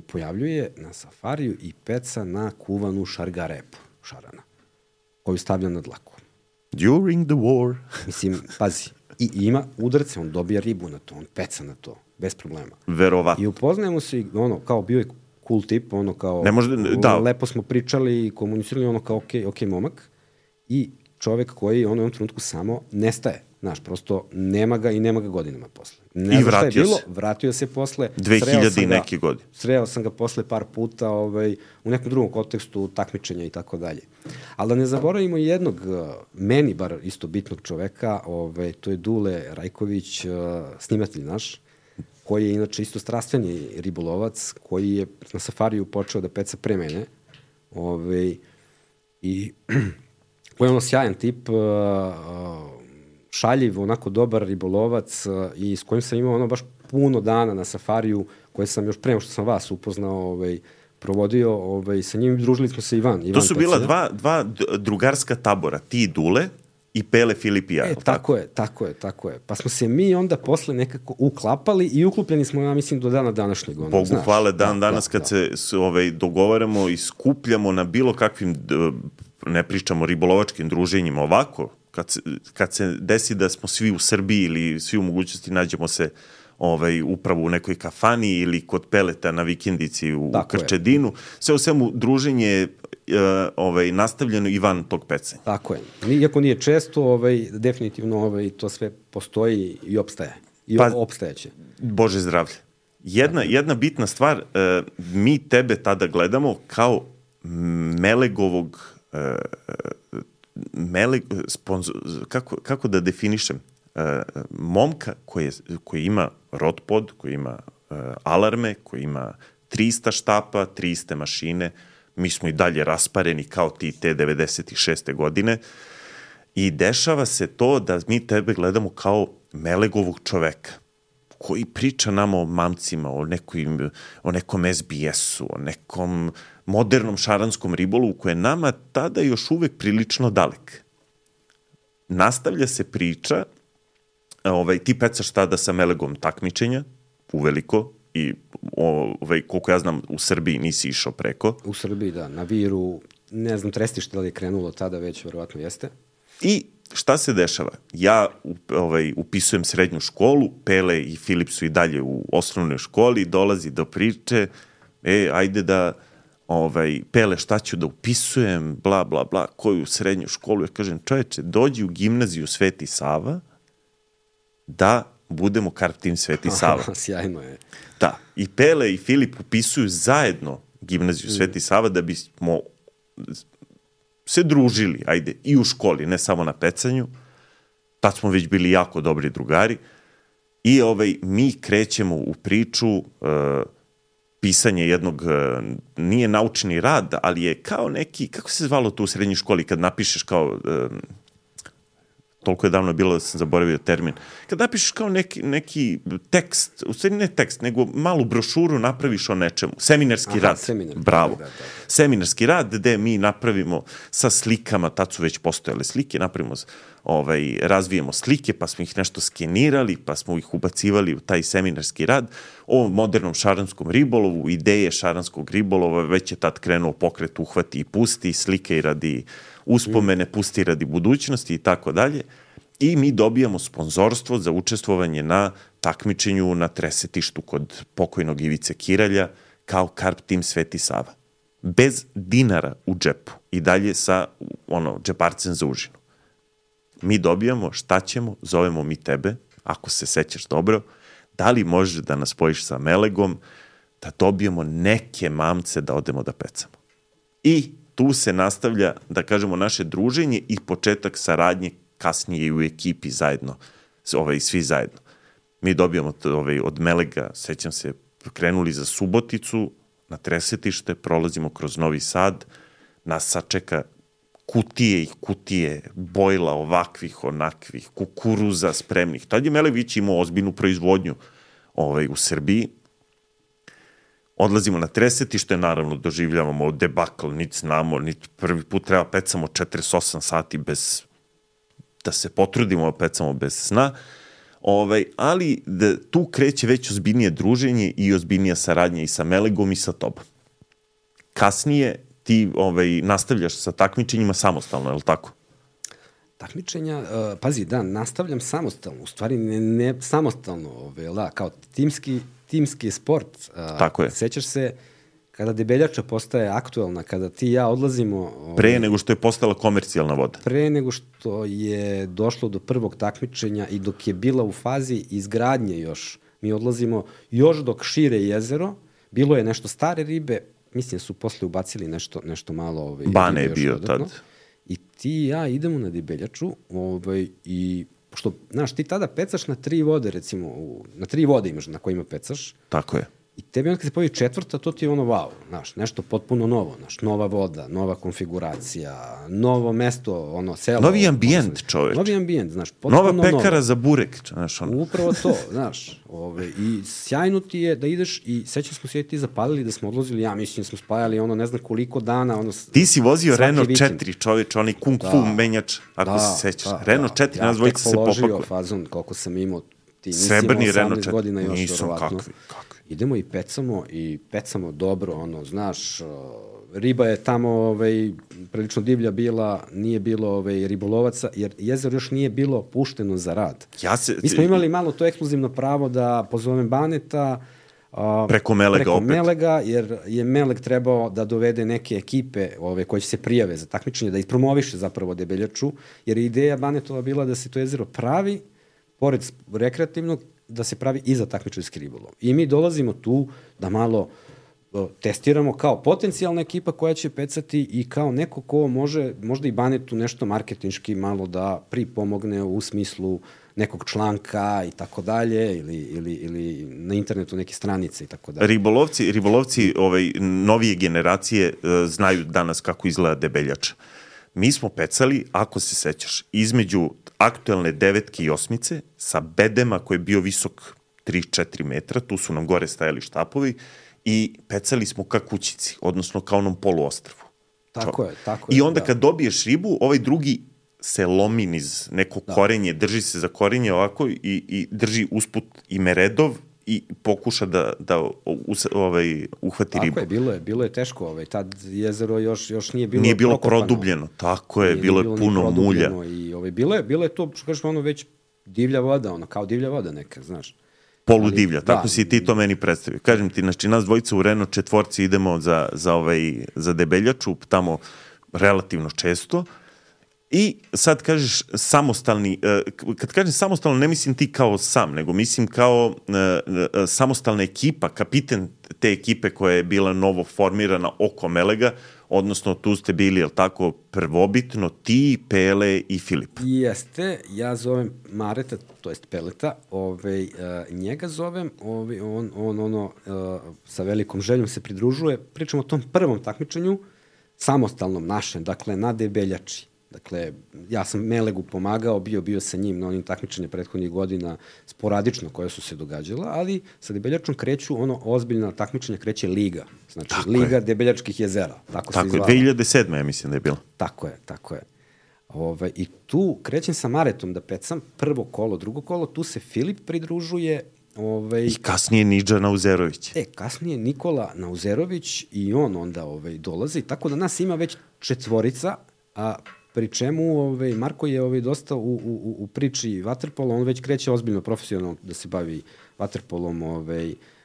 pojavljuje na safariju i peca na kuvanu šargarepu, šarana, koju stavlja na dlaku. During the war. Mislim, pazi, i ima udarce, on dobija ribu na to, on peca na to, bez problema. Verovatno. I upoznajemo se i kao bio je cool tip, lepo smo pričali i komunicirali, kao ok momak, i čovek koji u onom trenutku samo nestaje. Znaš, prosto nema ga i nema ga godinama posle. I vratio se posle. 2000 i neki godin. Sreo sam ga posle par puta u nekom drugom kontekstu takmičenja i tako dalje. Ali da ne zaboravimo jednog, meni bar isto bitnog čoveka, to je Dule Rajković, snimatelj naš, koji je inače isto strastveni ribolovac, koji je na safariju počeo da peca pre mene. I koji je sjajan tip, šaljiv, onako dobar ribolovac i s kojim sam imao baš puno dana na safariju, koje sam još pre što sam vas upoznao, provodio, sa njim družili smo se Ivan. To su bila dva drugarska tabora, ti i Dule i Pele, Filip i ja. Tako je. Pa smo se mi onda posle nekako uklapali i uklupljeni smo, ja mislim, do dana današnjeg. Bogu hvale, danas kad se dogovaramo i skupljamo na bilo kakvim, ne pričamo ribolovačkim druženjima, ovako, kad se desi da smo svi u Srbiji ili svi u mogućnosti nađemo se upravo u nekoj kafani ili kod Peleta na vikendici u Krčedinu, sve u svemu druženje je nastavljeno i van tog pecanja. Tako je. Iako nije često, definitivno to sve postoji i opstaje. I opstajeće. Bože zdravlje. Jedna bitna stvar, mi tebe tada gledamo kao Melegovog kako da definišem, momka koji ima rotpod, koji ima alarme, koji ima 300 štapa, 300 mašine, mi smo i dalje raspareni kao ti te 96. godine i dešava se to da mi tebe gledamo kao Melegovog čoveka koji priča nama o mamcima, o nekom SBS-u, o nekom modernom šaranskom ribolovu koji je nama tada još uvek prilično dalek. Nastavlja se priča, ti pecaš tada sa Melegom takmičenja, uveliko, i koliko ja znam u Srbiji nisi išao preko. U Srbiji, da, na Viru, ne znam, Trestište da li je krenulo tada već, verovatno jeste. I šta se dešava? Ja upisujem srednju školu, Pele i Filip su i dalje u osnovnoj školi, dolazi do priče, ajde da, Pele, šta ću da upisujem, bla, bla, bla, koju srednju školu? Ja kažem, čoveče, dođi u gimnaziju Sveti Sava da budemo kart tim Sveti Sava. Sjajno je. Da, i Pele i Filip upisuju zajedno gimnaziju Sveti Sava da bismo se družili, ajde, i u školi, ne samo na pecanju. Tad smo već bili jako dobri drugari. I mi krećemo u priču pisanje jednog, nije naučni rad, ali je kao neki, kako se zvalo to u srednjoj školi, kad napišeš kao, toliko je davno bilo da sam zaboravio termin, kad napišeš kao neki tekst, u stvari ne tekst, nego malu brošuru napraviš o nečemu. Seminarski rad. Bravo. Da. Seminarski rad gde mi napravimo sa slikama, tad su već postojale slike, napravimo, razvijemo slike, pa smo ih nešto skenirali, pa smo ih ubacivali u taj seminarski rad o modernom šaranskom ribolovu, ideje šaranskog ribolova, već je tad krenuo pokret uhvati i pusti, slike i radi uspomene, pusti radi budućnosti i tako dalje. I mi dobijamo sponzorstvo za učestvovanje na takmičenju na tresetištu kod pokojnog Ivice Kiralja kao Karp tim Sveti Sava. Bez dinara u džepu i dalje sa džeparcem za užinu. Mi dobijamo, šta ćemo, zovemo mi tebe, ako se sećaš dobro, da li možeš da nas spojiš sa Melegom, da dobijemo neke mamce da odemo da pecamo. I tu se nastavlja, da kažemo, naše druženje i početak saradnje kasnije i u ekipi zajedno, svi zajedno. Mi dobijamo od Melega, sećam se, krenuli za Suboticu, na tresetište, prolazimo kroz Novi Sad, nas sačeka kutije i kutije, bojla ovakvih, onakvih, kukuruza spremnih. Tad je Meleg već imao ozbiljnu proizvodnju u Srbiji. Odlazimo na tresetište, naravno doživljavamo debakl, niti znamo, niti prvi put treba pecamo 48 sati bez, da se potrudimo pecamo bez sna, ali tu kreće već ozbiljnije druženje i ozbiljnija saradnja i sa Melegom i sa tobom. Kasnije ti nastavljaš sa takmičenjima samostalno, je li tako? Takmičenja, pazi, da, nastavljam samostalno, u stvari ne samostalno, kao timski sport. Tako je. Sećaš se kada debeljača postaje aktuelna, kada ti i ja odlazimo... Pre nego što je postala komercijalna voda. Pre nego što je došlo do prvog takmičenja i dok je bila u fazi izgradnje još, mi odlazimo još dok šire jezero, bilo je nešto stare ribe, mislim su posle ubacili nešto malo... Bane je bio tad. I ti i ja idemo na debeljaču i pošto, znaš, ti tada pecaš na 3 vode, recimo, na 3 vode imaš na kojima pecaš. Tako je. I tebi onda kad se pojavi 4, to ti je wow, znaš, nešto potpuno novo, znaš, nova voda, nova konfiguracija, novo mesto, selo. Novi ambijent, čoveč. Novi ambijent, znaš, potpuno novo. Nova pekara za burek, znaš, Upravo to, znaš, i sjajno ti je da ideš i sećam smo se ti zapalili da smo odlazili, ja mislim da smo spajali ne znam koliko dana, Ti si vozio Renault 4, čoveč, onaj kung fu menjač, ako se sećaš. Renault 4, nas dvojica se popakle. Ja tek položio fazon koliko sam imao, ti nisi imao 18 godina još, verovatno. Idemo i pecamo dobro, znaš, riba je tamo prilično divlja bila, nije bilo ribolovaca, jer jezero još nije bilo pušteno za rad. Mi smo imali malo to ekskluzivno pravo da pozovem Baneta preko Melega, jer je Meleg trebao da dovede neke ekipe koje će se prijave za takmičenje, da ispromoviše zapravo debeljaču, jer je ideja Banetova bila da se to jezero pravi, pored rekreativnog, da se pravi i za takmičarski ribolov. I mi dolazimo tu da malo testiramo kao potencijalna ekipa koja će pecati i kao neko ko možda i Banetu nešto marketinški malo da pripomogne u smislu nekog članka i tako dalje ili na internetu neke stranice i tako dalje. Ribolovci novije generacije znaju danas kako izgleda debeljača. Mi smo pecali, ako se sećaš, između aktuelne 9 i 8 sa bedema koji je bio visok 3-4 metra, tu su nam gore stajali štapovi i pecali smo ka kućici, odnosno ka onom poluostrvu. Tako je. I onda kad dobiješ ribu, ovaj drugi se lomi niz neko korenje, drži se za korenje ovako i drži usput i meredov i pokuša da uhvati ribu. Tako je, bilo je teško. Tad jezero još nije bilo Nije bilo prokopano. produbljeno, tako je, bilo je puno mulja. I bilo je to, što kažeš, ono već divlja voda, kao divlja voda neka, znaš. Poludivlja, tako si ti to meni predstavio. Kažem ti, znači nas dvojica u Reno četvorci idemo za Debeljaču, tamo relativno često. I sad kažeš samostalni, kad kažem samostalno ne mislim ti kao sam, nego mislim kao samostalna ekipa, kapiten te ekipe koja je bila novo formirana oko Melega, odnosno tu ste bili, jel tako, prvobitno ti, Pele i Filip. Jeste, ja zovem Mareta, to jest Peleta, njega zovem, on sa velikom željom se pridružuje, pričamo o tom prvom takmičenju, samostalnom našem, dakle na Debeljači. Dakle, ja sam Melegu pomagao, bio sa njim na onim takmičenja prethodnih godina sporadično koje su se događala, ali sa Debeljačom kreću ozbiljna takmičenja, kreće Liga. Znači, tako Liga Debeljačkih jezera. Tako se izvala. 2007. ja mislim da je bilo. Tako je. I tu krećem sa Maretom da pecam prvo kolo, drugo kolo, tu se Filip pridružuje. I kasnije Nidža Nauzerović. Kasnije Nikola Nauzerović i on onda dolazi, tako da nas ima već četvorica, a pri čemu Marko je dosta u priči vaterpola, on već kreće ozbiljno profesionalno da se bavi vaterpolom,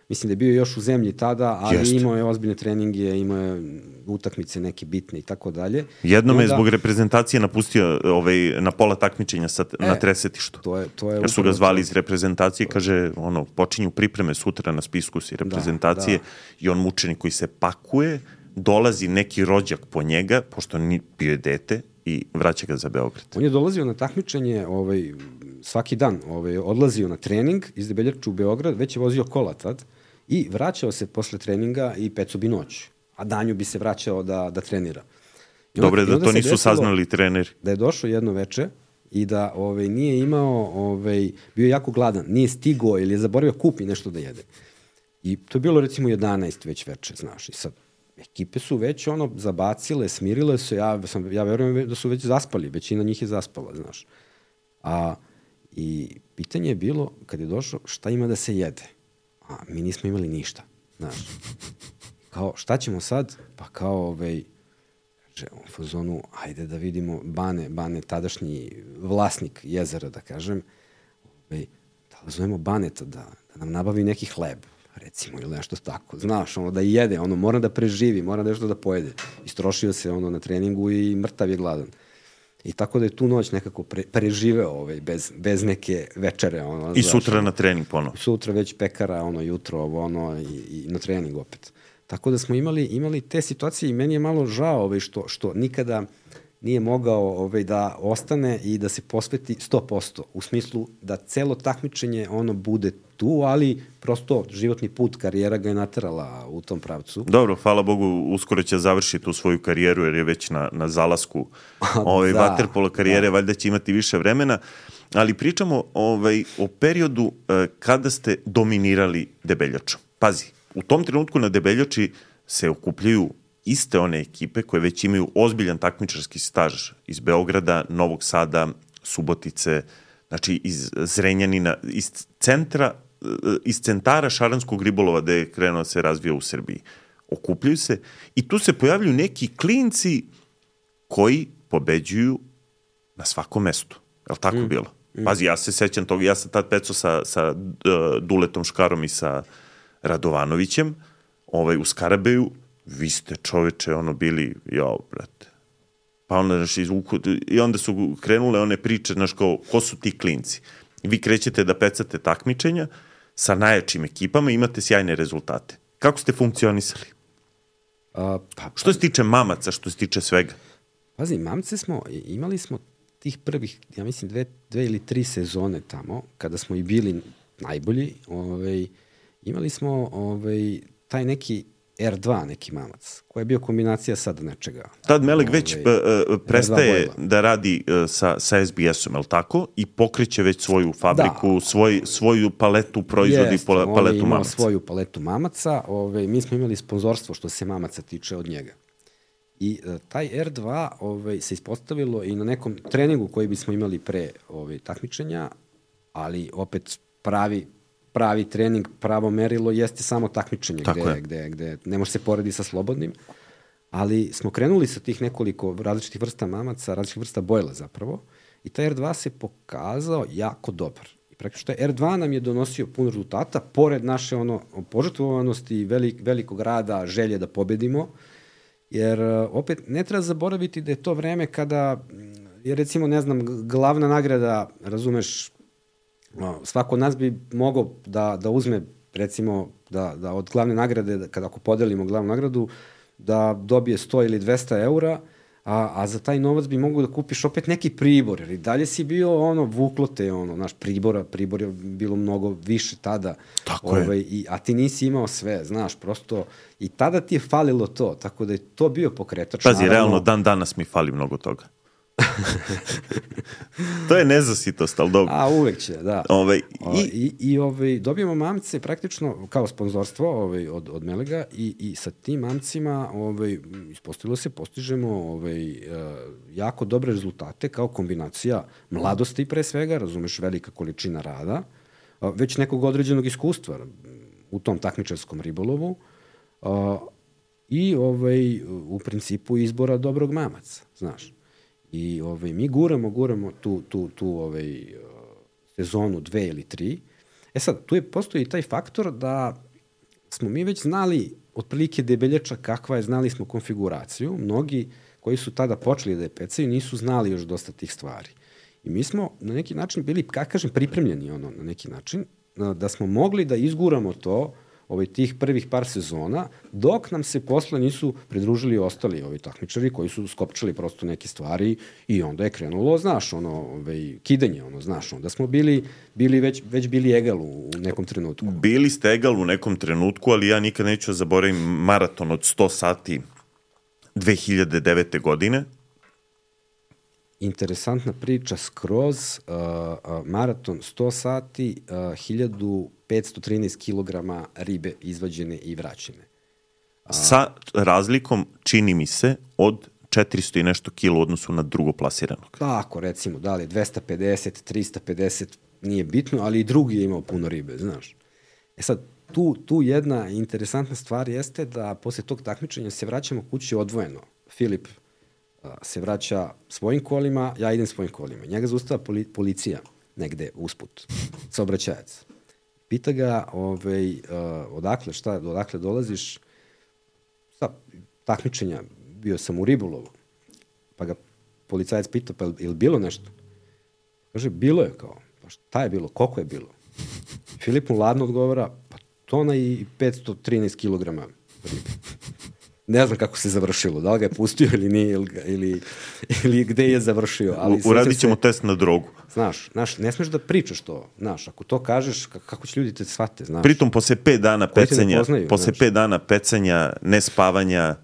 mislim da je bio još u zemlji tada, ali imao je ozbiljne treninge, imao je utakmice neke bitne i tako dalje. Jednom je zbog reprezentacije napustio na pola takmičenja na tresetištu. Jer su ga zvali iz reprezentacije, kaže, počinju pripreme sutra na spisku si reprezentacije i on mučenik koji se pakuje, dolazi neki rođak po njega, pošto bio je dete, i vraća ga za Beograd. On je dolazio na takmičenje svaki dan, odlazio na trening iz Debeljača u Beograd, već je vozio kola tad i vraćao se posle treninga i peco bi noć, a danju bi se vraćao da trenira. Dobre, da to nisu saznali treneri. Da je došao jedno veče i da nije imao, bio je jako gladan, nije stigao ili je zaboravio kupi nešto da jede. I to je bilo recimo 11 već veče, znaš, i sad ekipe su već zabacile, smirile se, ja verujem da su već zaspali, većina njih je zaspala, znaš. I pitanje je bilo, kad je došao, šta ima da se jede? A mi nismo imali ništa, znaš. Kao, šta ćemo sad? Pa kao, u fazonu, ajde da vidimo Bane, tadašnji vlasnik jezera, da kažem, da zovemo Baneta da nam nabavi neki hleb, recimo, ili nešto tako. Znaš, da jede, mora da preživi, mora nešto da pojede. Istrošio se na treningu i mrtav je gladan. I tako da je tu noć nekako preživeo bez neke večere. I sutra na trening ponovo. Sutra već pekara, jutro, i na trening opet. Tako da smo imali te situacije i meni je malo žao što nikada nije mogao da ostane i da se posveti 100%, u smislu da celo takmičenje bude tu, ali prosto životni put, karijera ga je naterala u tom pravcu. Dobro, hvala Bogu, uskoro će završiti tu svoju karijeru jer je već na zalasku vaterpolo karijere, valjda će imati više vremena, ali pričamo o periodu kada ste dominirali Debeljaču. Pazi, u tom trenutku na Debeljači se okupljaju iste one ekipe koje već imaju ozbiljan takmičarski staž iz Beograda, Novog Sada, Subotice, znači iz Zrenjanina, iz centara šaranskog ribolova gde je krenuo se razvija u Srbiji. Okupljaju se i tu se pojavljuju neki klinci koji pobeđuju na svakom mestu. Je li tako bilo? Pazi, ja se sećam toga, ja sam tad pecao sa Duletom Škarom i sa Radovanovićem u Skarabeju. Vi ste čoveče, bili, brate. Pa onda, i onda su krenule one priče, znaš, ko su ti klinci? Vi krećete da pecate takmičenja sa najjačim ekipama i imate sjajne rezultate. Kako ste funkcionisali? Što se tiče mamaca, što se tiče svega? Pazi, mamce imali smo tih prvih, ja mislim, 2 ili 3 sezone tamo, kada smo i bili najbolji, imali smo taj neki R2 neki mamac, koja je bio kombinacija sad nečega. Tad Meleg već prestaje da radi sa SBS-om, je li tako? I pokreće već svoju fabriku, svoju paletu proizvodi, paletu mamaca. On je imao svoju paletu mamaca. Mi smo imali sponzorstvo što se mamaca tiče od njega. I taj R2 se ispostavilo i na nekom treningu koji bismo imali pre takmičenja, ali opet pravi pravi trening, pravo merilo jeste samo takmičenje, gde ne može se porediti sa slobodnim, ali smo krenuli sa tih nekoliko različitih vrsta mamaca, različitih vrsta bojla zapravo, i taj R2 se pokazao jako dobar. I praktično taj R2 nam je donosio puno rezultata, pored naše požrtvovanosti, velikog rada, želje da pobedimo, jer opet ne treba zaboraviti da je to vreme kada je, recimo, ne znam, glavna nagrada, razumeš, svako od nas bi mogao da uzme, recimo, da od glavne nagrade, ako podelimo glavnu nagradu, da dobije 100 ili 200 eura, a za taj novac bi mogu da kupiš opet neki pribor, jer i dalje si bio vuklo te, naš pribor je bilo mnogo više tada. Tako je. A ti nisi imao sve, znaš, prosto, i tada ti je falilo to, tako da je to bio pokretač. Pazi, realno, danas mi fali mnogo toga. To je nezasitost, ali dobro. A uvek će, da. Dobijemo mamce praktično kao sponzorstvo od Melega i sa tim mamcima ispostavilo se, postižemo jako dobre rezultate kao kombinacija mladosti pre svega, razumeš, velika količina rada, već nekog određenog iskustva u tom takmičarskom ribolovu i u principu izbora dobrog mamaca, znaš. I mi guramo tu sezonu 2 ili 3. Sad, tu postoji taj faktor da smo mi već znali otprilike debeljača kakva je, znali smo konfiguraciju. Mnogi koji su tada počeli da je pecaju nisu znali još dosta tih stvari. I mi smo na neki način bili, kako kažem, pripremljeni na neki način, da smo mogli da izguramo to tih prvih par sezona, dok nam se posle nisu pridružili ostali takmičari koji su skopčali prosto neke stvari i onda je krenulo, znaš, kidanje, znaš, onda smo već bili egal u nekom trenutku. Bili ste egal u nekom trenutku, ali ja nikad neću zaboravim maraton od 100 sati 2009. godine. Interesantna priča skroz, maraton 100 sati, 1513 kilograma ribe izvađene i vraćene. Sa razlikom, čini mi se, od 400 i nešto kilo u odnosu na drugoplasiranog. Tako, recimo, da li 250, 350, nije bitno, ali i drugi je imao puno ribe, znaš. Sad, tu jedna interesantna stvar jeste da posle tog takmičenja se vraćamo kući odvojeno. Filip se vraća svojim kolima, ja idem svojim kolima. Njega zaustava policija negde usput, saobraćajac. Pita ga odakle dolaziš, sa takmičenja, bio sam u ribolovu, pa ga policajac pita, pa je li bilo nešto? Kaže, bilo je kao, pa šta je bilo, koliko je bilo? Filip mu ladno odgovara, pa tona i 513 kilograma ribe. Ne znam kako se završilo, da li ga je pustio ili nije, ili gde je završio. Uradit ćemo test na drogu. Znaš, ne smeš da pričaš to, znaš, ako to kažeš, kako će ljudi te shvate, znaš. Pritom, posle 5 dana pecanja, nespavanja,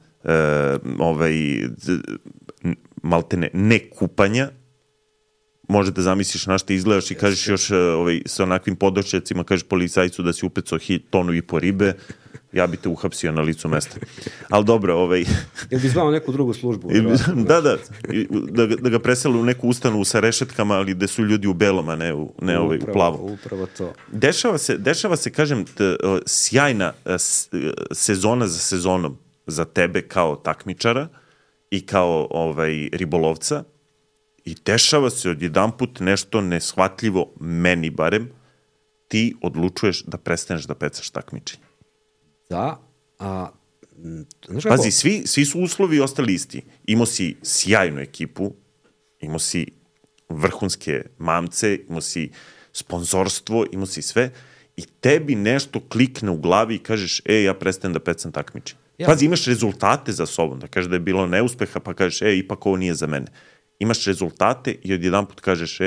maltene, ne kupanja, može da zamisliš na što izgledaš i kažeš još sa onakvim podočjacima, kažeš policajcu da si upecao 1,5 tonu ribe, ja bi te uhapsio na licu mesta. Ali dobro, Jel bi zvao neku drugu službu? Da ga presele u neku ustanovu sa rešetkama, ali gde su ljudi u belom, a ne u plavom. Upravo to. Dešava se, kažem, sjajna sezona za sezonom za tebe kao takmičara i kao ribolovca, i dešava se odjedanput nešto neshvatljivo, meni barem, ti odlučuješ da prestaneš da pecaš takmičenje. Da, pazi, svi su uslovi ostali isti. Imao si sjajnu ekipu, imao si vrhunske mamce, imao si sponzorstvo, imao si sve, i tebi nešto klikne u glavi i kažeš, ja prestajem da pecam takmičenje. Pazi, imaš rezultate za sobom, da kažeš da je bilo neuspeha, pa kažeš, ipak ovo nije za mene. Imaš rezultate i odjedanput kažeš,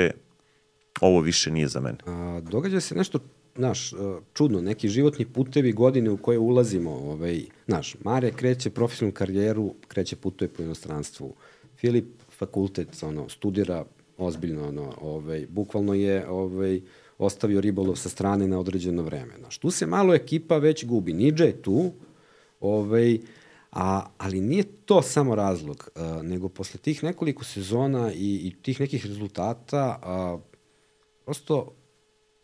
ovo više nije za mene. Događa se nešto, znaš, čudno, neki životni putevi, godine u koje ulazimo, znaš, Mare kreće profesionalnu karijeru, putuje po inostranstvu. Filip fakultet, studira ozbiljno, bukvalno je ostavio ribolov sa strane na određeno vreme. Znaš, tu se malo ekipa već gubi. Nidža je tu, ali nije to samo razlog, nego posle tih nekoliko sezona i tih nekih rezultata, prosto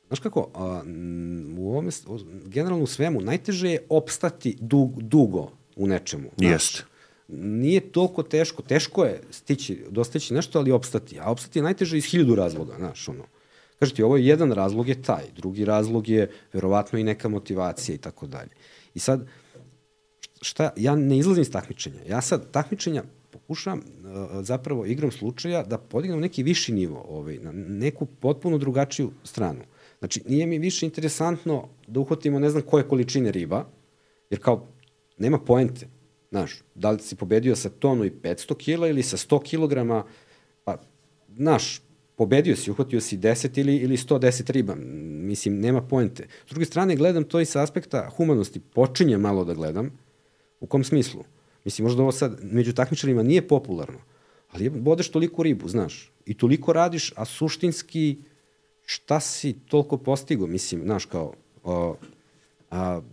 Znaš kako, u ovome, generalno u svemu, najteže je opstati dugo u nečemu. Jeste. Nije toliko teško. Teško je dostići nešto, ali opstati. A opstati je najteže iz 1000 razloga, znaš, ono. Kažete, ovo je jedan razlog je taj, drugi razlog je verovatno i neka motivacija i tako dalje. I sad, ja ne izlazim iz takmičenja. Ja sad takmičenja pokušam zapravo igrom slučaja da podignem neki viši nivo, na neku potpuno drugačiju stranu. Znači, nije mi više interesantno da uhvatimo ne znam koje količine riba, jer kao, nema poente. Znaš, da li si pobedio sa 1,5 kila ili sa 100 kilograma, pa, znaš, pobedio si, uhvatio si 10 ili 110 riba. Mislim, nema poente. S druge strane, gledam to i sa aspekta humanosti. Počinjem malo da gledam. U kom smislu? Mislim, možda ovo sad među takmičarima nije popularno, ali bodeš toliko ribu, znaš, i toliko radiš, a suštinski šta si toliko postigo, mislim, znaš, kao,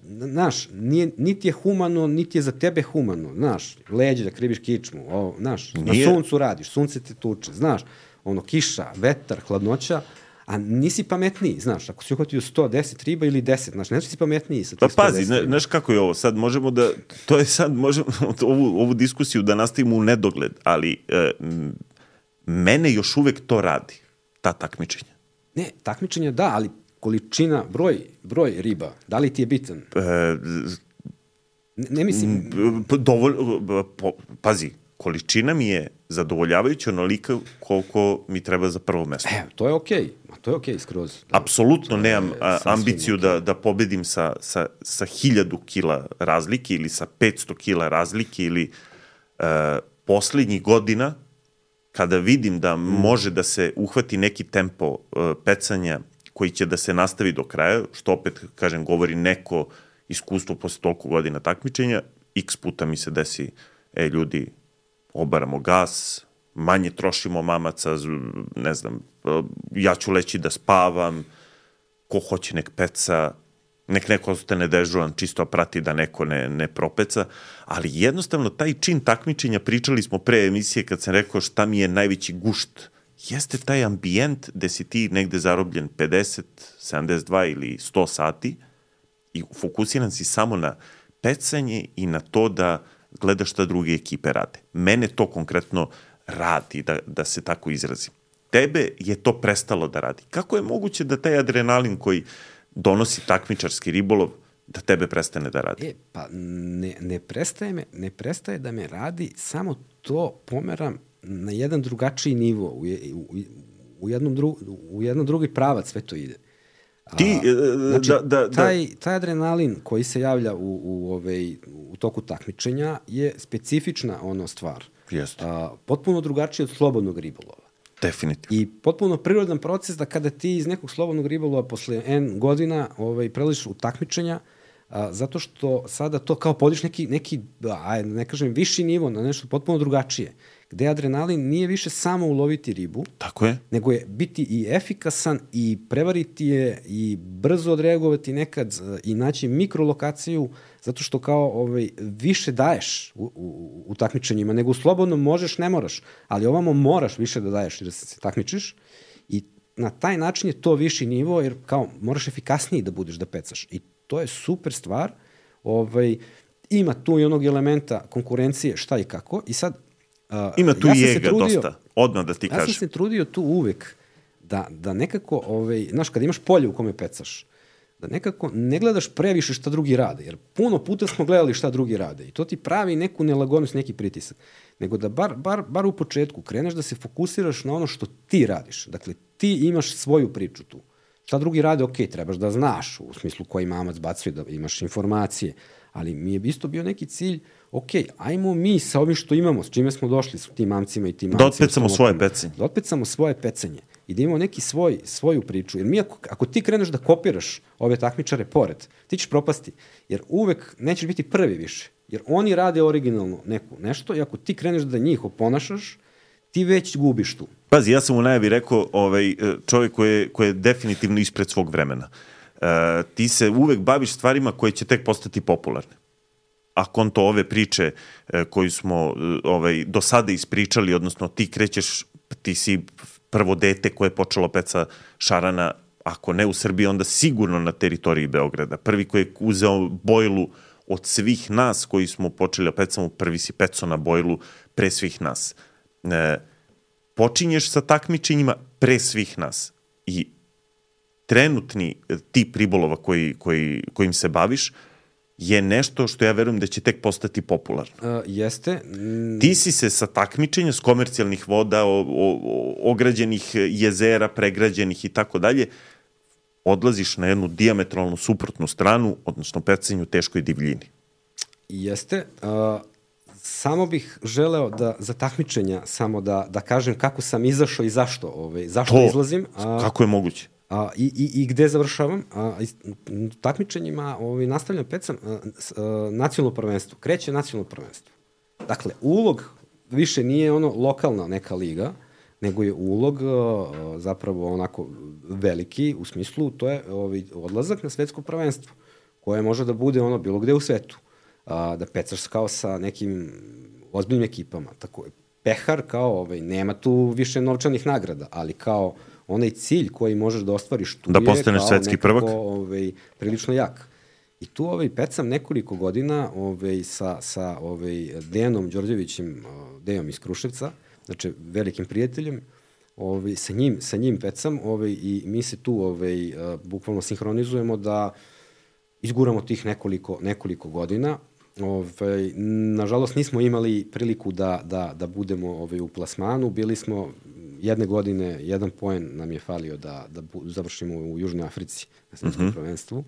znaš, niti je humano, niti je za tebe humano, znaš, leđe da kriviš kičmu, znaš, na suncu radiš, sunce te tuče, znaš, kiša, vetar, hladnoća, a nisi pametniji, znaš, ako si uhvatio 110 riba ili 10, znaš, neći si pametniji sa tih 110 pazi, znaš kako je ovo, sad možemo da, to je sad, možemo ovu diskusiju da nastavimo u nedogled, ali mene još uvek to radi, ta takmičenja. Ne, takmičenja da, ali količina, broj riba, da li ti je bitan? Ne mislim... Pazi, količina mi je zadovoljavajuća onolika koliko mi treba za prvo mesto. To je okej. To je okej skroz. Apsolutno nemam ambiciju da pobedim sa 1000 kila razlike ili sa 500 kila razlike ili poslednjih godina kada vidim da može da se uhvati neki tempo pecanja koji će da se nastavi do kraja, što opet, kažem, govori neko iskustvo posle toliko godina takmičenja, x puta mi se desi, ljudi, obaramo gas, manje trošimo mamaca, ne znam, ja ću leći da spavam, ko hoće nek peca, nek neko ostane dežuran, čisto prati da neko ne propeca, ali jednostavno taj čin takmičenja, pričali smo pre emisije kad sam rekao šta mi je najveći gušt, jeste taj ambijent gde si ti negde zarobljen 50, 72 ili 100 sati i fokusiran si samo na pecanje i na to da gledaš šta druge ekipe rade. Mene to konkretno radi, da se tako izrazim. Tebe je to prestalo da radi. Kako je moguće da taj adrenalin koji donosi takmičarski ribolov, da tebe prestane da radi? Pa ne prestaje da me radi, samo to pomeram na jedan drugačiji nivo, u jedan drugi pravac sve to ide. Taj adrenalin koji se javlja u toku takmičenja je specifična stvar. Jeste. Potpuno drugačiji od slobodnog ribolova. Definitivno. I potpuno prirodan proces da kada ti iz nekog slobodnog ribolova posle N godina prelaziš u takmičenja, zato što sada to kao podiš neki, ne kažem, viši nivo, na nešto potpuno drugačije, gde adrenalin nije više samo uloviti ribu, tako je, nego je biti i efikasan i prevariti je i brzo odreagovati nekad i naći mikrolokaciju, zato što kao više daješ u takmičenjima, nego u slobodnom možeš, ne moraš, ali ovamo moraš više da daješ jer se takmičiš i na taj način je to viši nivo jer kao moraš efikasniji da budeš da pecaš i to je super stvar. Ima tu i onog elementa konkurencije šta i kako i sad ima tu i ega dosta, odmah da ti kažem. Ja sam se trudio tu uvek da nekako, znaš, kad imaš polje u kome pecaš, da nekako ne gledaš previše šta drugi rade, jer puno puta smo gledali šta drugi rade i to ti pravi neku nelagodnost, neki pritisak. Nego da bar u početku kreneš da se fokusiraš na ono što ti radiš. Dakle, ti imaš svoju priču tu. Šta drugi rade, ok, trebaš da znaš, u smislu koji mamac bacuje, da imaš informacije, ali mi je isto bio neki cilj, ok, ajmo mi sa ovim što imamo, s čime smo došli s tim mamcima i tim mamcima. Da otpecamo svoje pecanje. Da otpecamo svoje pecanje i da imamo neki svoju priču. Jer mi, ako ti kreneš da kopiraš ove takmičare pored, ti ćeš propasti, jer uvek nećeš biti prvi više. Jer oni rade originalno nešto i ako ti kreneš da njih oponašaš, ti već gubiš tu. Pazi, ja sam u najavi rekao čovjek koji je definitivno ispred svog vremena. Ti se uvek baviš stvarima koje će tek postati popularne. A konto ove priče koju smo do sada ispričali, odnosno ti krećeš, ti si prvo dete koje je počelo peca šarana ako ne u Srbiji, onda sigurno na teritoriji Beograda. Prvi koji je uzeo bojlu od svih nas koji smo počeli da pecamo, prvi si pecao na bojlu pre svih nas. Počinješ sa takmičenjima pre svih nas i trenutni tip ribolova kojim se baviš je nešto što ja verujem da će tek postati popularno. Jeste. Ti si se sa takmičenja, s komercijalnih voda, ograđenih jezera, pregrađenih i tako dalje, odlaziš na jednu dijametralno suprotnu stranu, odnosno pecanju teškoj divljini. Jeste. Samo bih želeo da za takmičenja samo da kažem kako sam izašao i zašto izlazim. Kako je moguće? I gde završavam. Takmičenjima nastavljam pecam nacionalno prvenstvo. Kreće nacionalno prvenstvo. Dakle, ulog više nije ono lokalna neka liga, nego je ulog zapravo onako veliki, u smislu to je odlazak na svetsko prvenstvo, koje može da bude ono bilo gde u svetu. Da pecaš kao sa nekim ozbiljnim ekipama. Tako je. Pehar kao, nema tu više novčanih nagrada, ali kao onaj cilj koji možeš da ostvariš tu da postaneš svetski prvak, prilično jak. I tu pecam nekoliko godina sa Dejanom Đorđevićem, Dejom iz Kruševca, znači velikim prijateljem, sa njim pecam i mi se tu bukvalno sinhronizujemo da izguramo tih nekoliko godina. Nažalost nismo imali priliku da budemo u plasmanu, bili smo jedne godine, 1 poen nam je falio da završimo u Južnoj Africi na svetskom prvenstvu.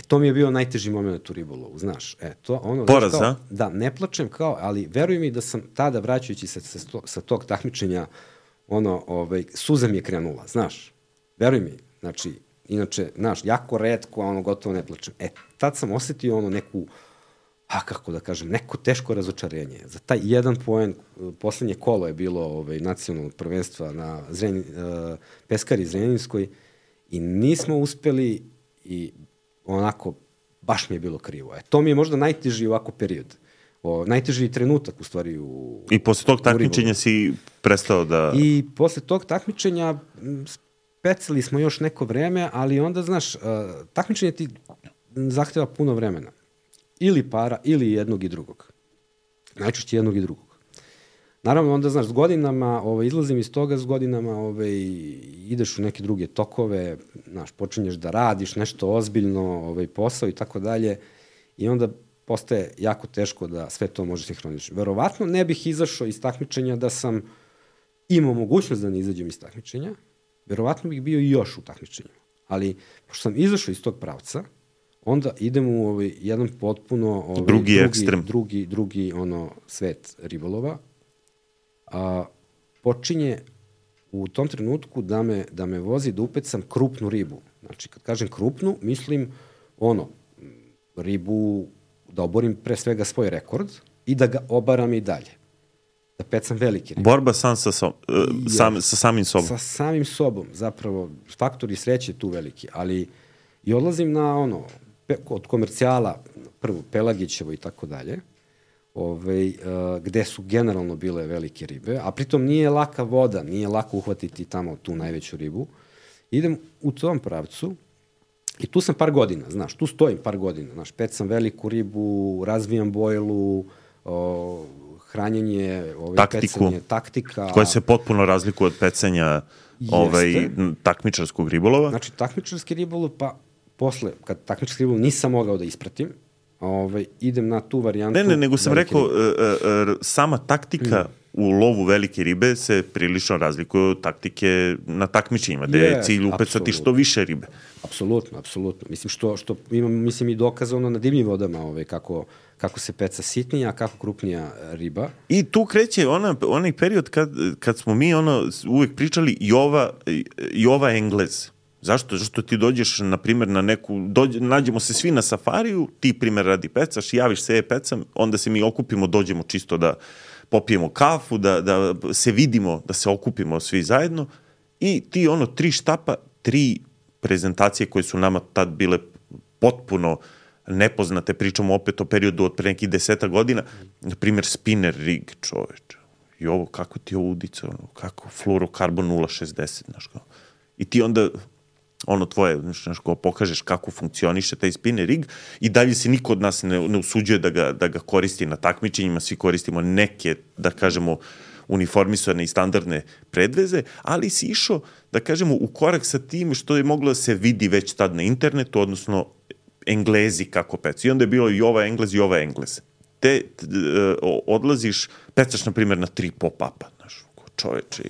To mi je bio najteži moment u ribolovu, znaš. Poraz, a? Da, ne plačem ali veruj mi da sam tada, vraćajući se sa tog takmičenja, suza mi je krenula, znaš. Veruj mi, znači, inače, znaš, jako retko, gotovo ne plačem. Tad sam osetio neku, kako da kažem, neko teško razočarenje. Za taj 1 poen, poslednje kolo je bilo nacionalnog prvenstva na Peskari Zrenjaninskoj i nismo uspeli i onako, baš mi je bilo krivo. To mi je možda najteži ovako period. Najteži trenutak, u stvari, I posle tog takmičenja si prestao da... I posle tog takmičenja pecali smo još neko vreme, ali onda, znaš, takmičenje ti zahteva puno vremena. Ili para, ili jednog i drugog. Najčešće jednog i drugog. Naravno, onda, znaš, s godinama, izlazim iz toga, s godinama ideš u neke druge tokove, znaš, počinješ da radiš nešto ozbiljno, posao i tako dalje, i onda postaje jako teško da sve to može sinhroniš. Verovatno ne bih izašao iz takmičenja da sam imao mogućnost da ne izađem iz takmičenja, verovatno bih bio i još u takmičenju. Ali, pošto sam izašao iz tog pravca, onda idem u jedan potpuno drugi ekstrem. Drugi svet ribolova. Počinje u tom trenutku da me vozi da upecam krupnu ribu. Znači, kad kažem krupnu, mislim ribu da oborim pre svega svoj rekord i da ga obaram i dalje. Da pecam velike ribe. Borba sa samim sobom. Sa samim sobom, zapravo, faktori sreće tu veliki, ali i odlazim na od komercijala, prvo Pelagićevo i tako dalje, gde su generalno bile velike ribe, a pritom nije laka voda, nije lako uhvatiti tamo tu najveću ribu. Idem u tom pravcu i tu sam par godina, znaš, tu stojim par godina, znaš, pecam veliku ribu, razvijam bojlu, hranjenje, pecanje, taktika. Koja se potpuno razlikuje od pecanja takmičarskog ribolova. Znači, takmičarski ribolov, pa posle, kad takmičarski ribolov nisam mogao da ispratim, idem na tu varijantu. Ne, nego sam rekao, sama taktika u lovu velike ribe se prilično razlikuje od taktike na takmičenjima, gde je cilj upecati što više ribe. Apsolutno. Mislim, što imam, i dokazano na divljim vodama kako se peca sitnija, a kako krupnija riba. I tu kreće onaj period kad smo mi uvek pričali Jova Englez. Zašto? Zašto ti dođeš, na primjer, na nađemo se svi na safariju, ti, primjer, radi pecaš, javiš se, pecam, onda se mi okupimo, dođemo čisto da popijemo kafu, da se vidimo, da se okupimo svi zajedno i ti 3 štapa, 3 prezentacije koje su nama tad bile potpuno nepoznate, pričamo opet o periodu od pre nekih 10 godina, na primjer spinner rig, čoveče, i ovo, kako ti je ovo udica, kako fluorokarbon 0,60, znaš kao. I ti onda ono tvoje, ko pokažeš kako funkcioniše taj spinner rig i dalje se niko od nas ne usuđuje da ga koristi na takmičenjima, svi koristimo neke, da kažemo, uniformisane i standardne predveze, ali si išao, da kažemo, u korak sa tim što je moglo da se vidi već tad na internetu, odnosno Englezi kako pecu. I onda je bilo i ova Englez i ova Englez. Odlaziš, pecaš, na primjer, na 3 pop-upa, znaš, čoveče,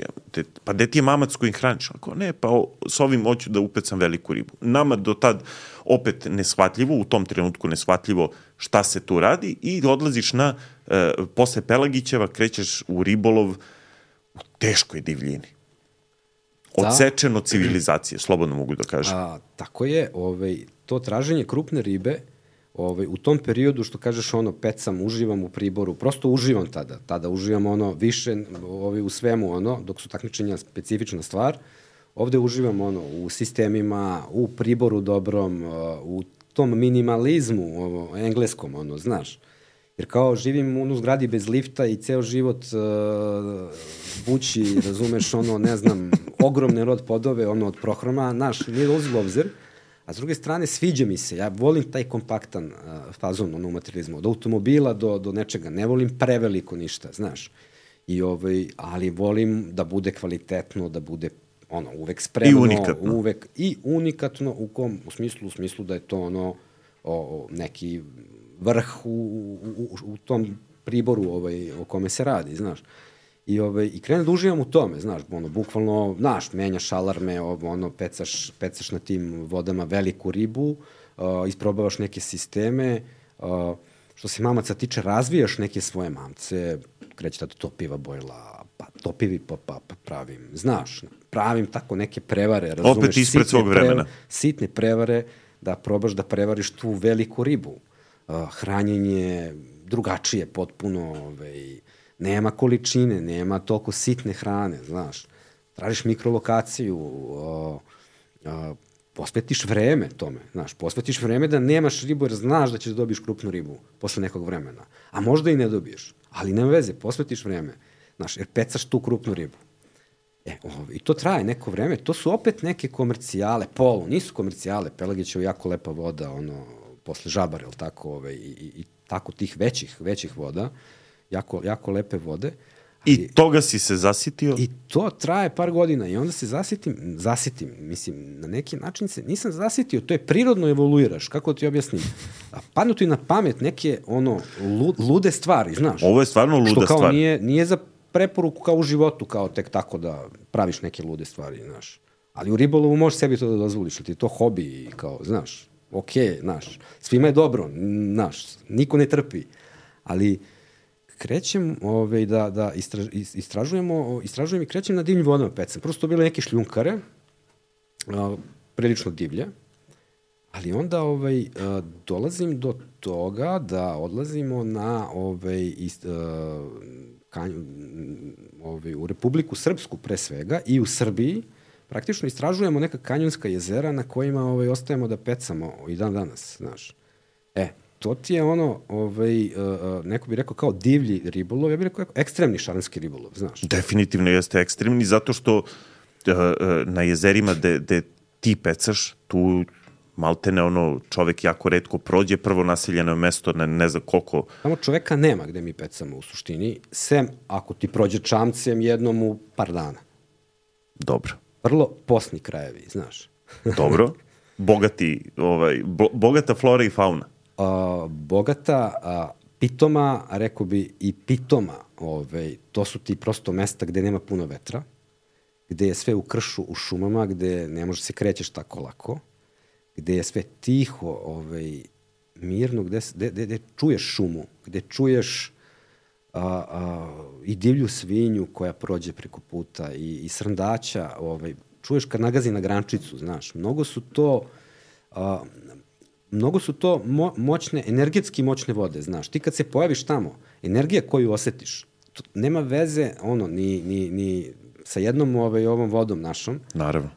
pa gde ti je mamac kojim hraniš? Ako ne, pa s ovim hoću da upecam veliku ribu. Nama do tad opet neshvatljivo, u tom trenutku neshvatljivo šta se tu radi i odlaziš na, posle Pelagićeva, krećeš u ribolov u teškoj divljini. Odsečen od civilizacije, slobodno mogu da kažem. Tako je, to traženje krupne ribe, u tom periodu, što kažeš, pecam, uživam u priboru, prosto uživam tada uživam više u svemu, dok su takmičenja specifična stvar, ovde uživam u sistemima, u priboru dobrom, u tom minimalizmu engleskom, znaš, jer kao živim u zgradi bez lifta i ceo život bući, razumeš, ne znam, ogromne rod podove, od prohroma, znaš, nije dolazi u obzir. A s druge strane, sviđa mi se, ja volim taj kompaktan fazon u materializmu, od automobila do nečega, ne volim preveliko ništa, znaš, ali volim da bude kvalitetno, da bude uvek spremno, i unikatno. Uvek i unikatno, u smislu da je to neki vrh u tom priboru o kome se radi, znaš. I krenem da uživam u tome, znaš, bukvalno, znaš, menjaš alarme, pecaš na tim vodama veliku ribu, isprobavaš neke sisteme, što se mamaca tiče, razvijaš neke svoje mamce, kreće da topiva bojla, pa topivi pa pravim, znaš, pravim tako neke prevare, razumeš, opet ispred svog vremena. Sitne prevare, da probaš da prevariš tu veliku ribu. Hranjenje drugačije potpuno, nema količine, nema toliko sitne hrane, znaš. Tražiš mikrolokaciju, posvetiš vreme tome, znaš. Posvetiš vreme da nemaš ribu jer znaš da ćeš da dobiješ krupnu ribu posle nekog vremena. A možda i ne dobiješ, ali nema veze, posvetiš vreme, znaš, jer pecaš tu krupnu ribu. I to traje neko vreme, to su opet neke komercijale, nisu komercijale, Pelagićeva jako lepa voda, posle Žabare, ili tako, i tako tih većih voda, jako lepe vode. I toga si se zasitio? I to traje par godina i onda se zasitim, mislim, na neki način se nisam zasitio, to je prirodno evoluiraš, kako ti objasnim. Padnu ti na pamet neke, lude stvari, znaš. Ovo je stvarno luda stvar. Što kao nije za preporuku kao u životu, kao tek tako da praviš neke lude stvari, znaš. Ali u ribolovu možeš sebi to da dozvoliš, ti je to hobi, kao, znaš, okej, znaš, svima je dobro, znaš, niko ne trpi, ali krećem da istražujem i krećem na divljim vodama pecam. Prvo su to bile neke šljunkare, prilično divlje, ali onda dolazim do toga da odlazimo na u Republiku Srpsku pre svega i u Srbiji praktično istražujemo neka kanjonska jezera na kojima ostajemo da pecamo i dan danas, znaš. To ti je neko bi rekao kao divlji ribolov, ja bih rekao ekstremni šaranski ribolov, znaš. Definitivno jeste ekstremni, zato što na jezerima gde ti pecaš, tu maltene čovek jako retko prođe, prvo naseljeno mesto, ne znam koliko. Samo čoveka nema gde mi pecamo u suštini, sem ako ti prođe čamcem jednom u par dana. Dobro. Vrlo posni krajevi, znaš. Dobro. Bogata flora i fauna. Bogata, pitoma, rekao bi i pitoma, to su ti prosto mesta gde nema puno vetra, gde je sve u kršu, u šumama, gde ne možeš se krećeš tako lako, gde je sve tiho, mirno, gde čuješ šumu, gde čuješ i divlju svinju koja prođe preko puta i srndaća, čuješ kad nagazi na grančicu, znaš, mnogo su to moćne, energetski moćne vode, znaš. Ti kad se pojaviš tamo, energija koju osetiš, nema veze, ni sa jednom ovom vodom našom. Naravno.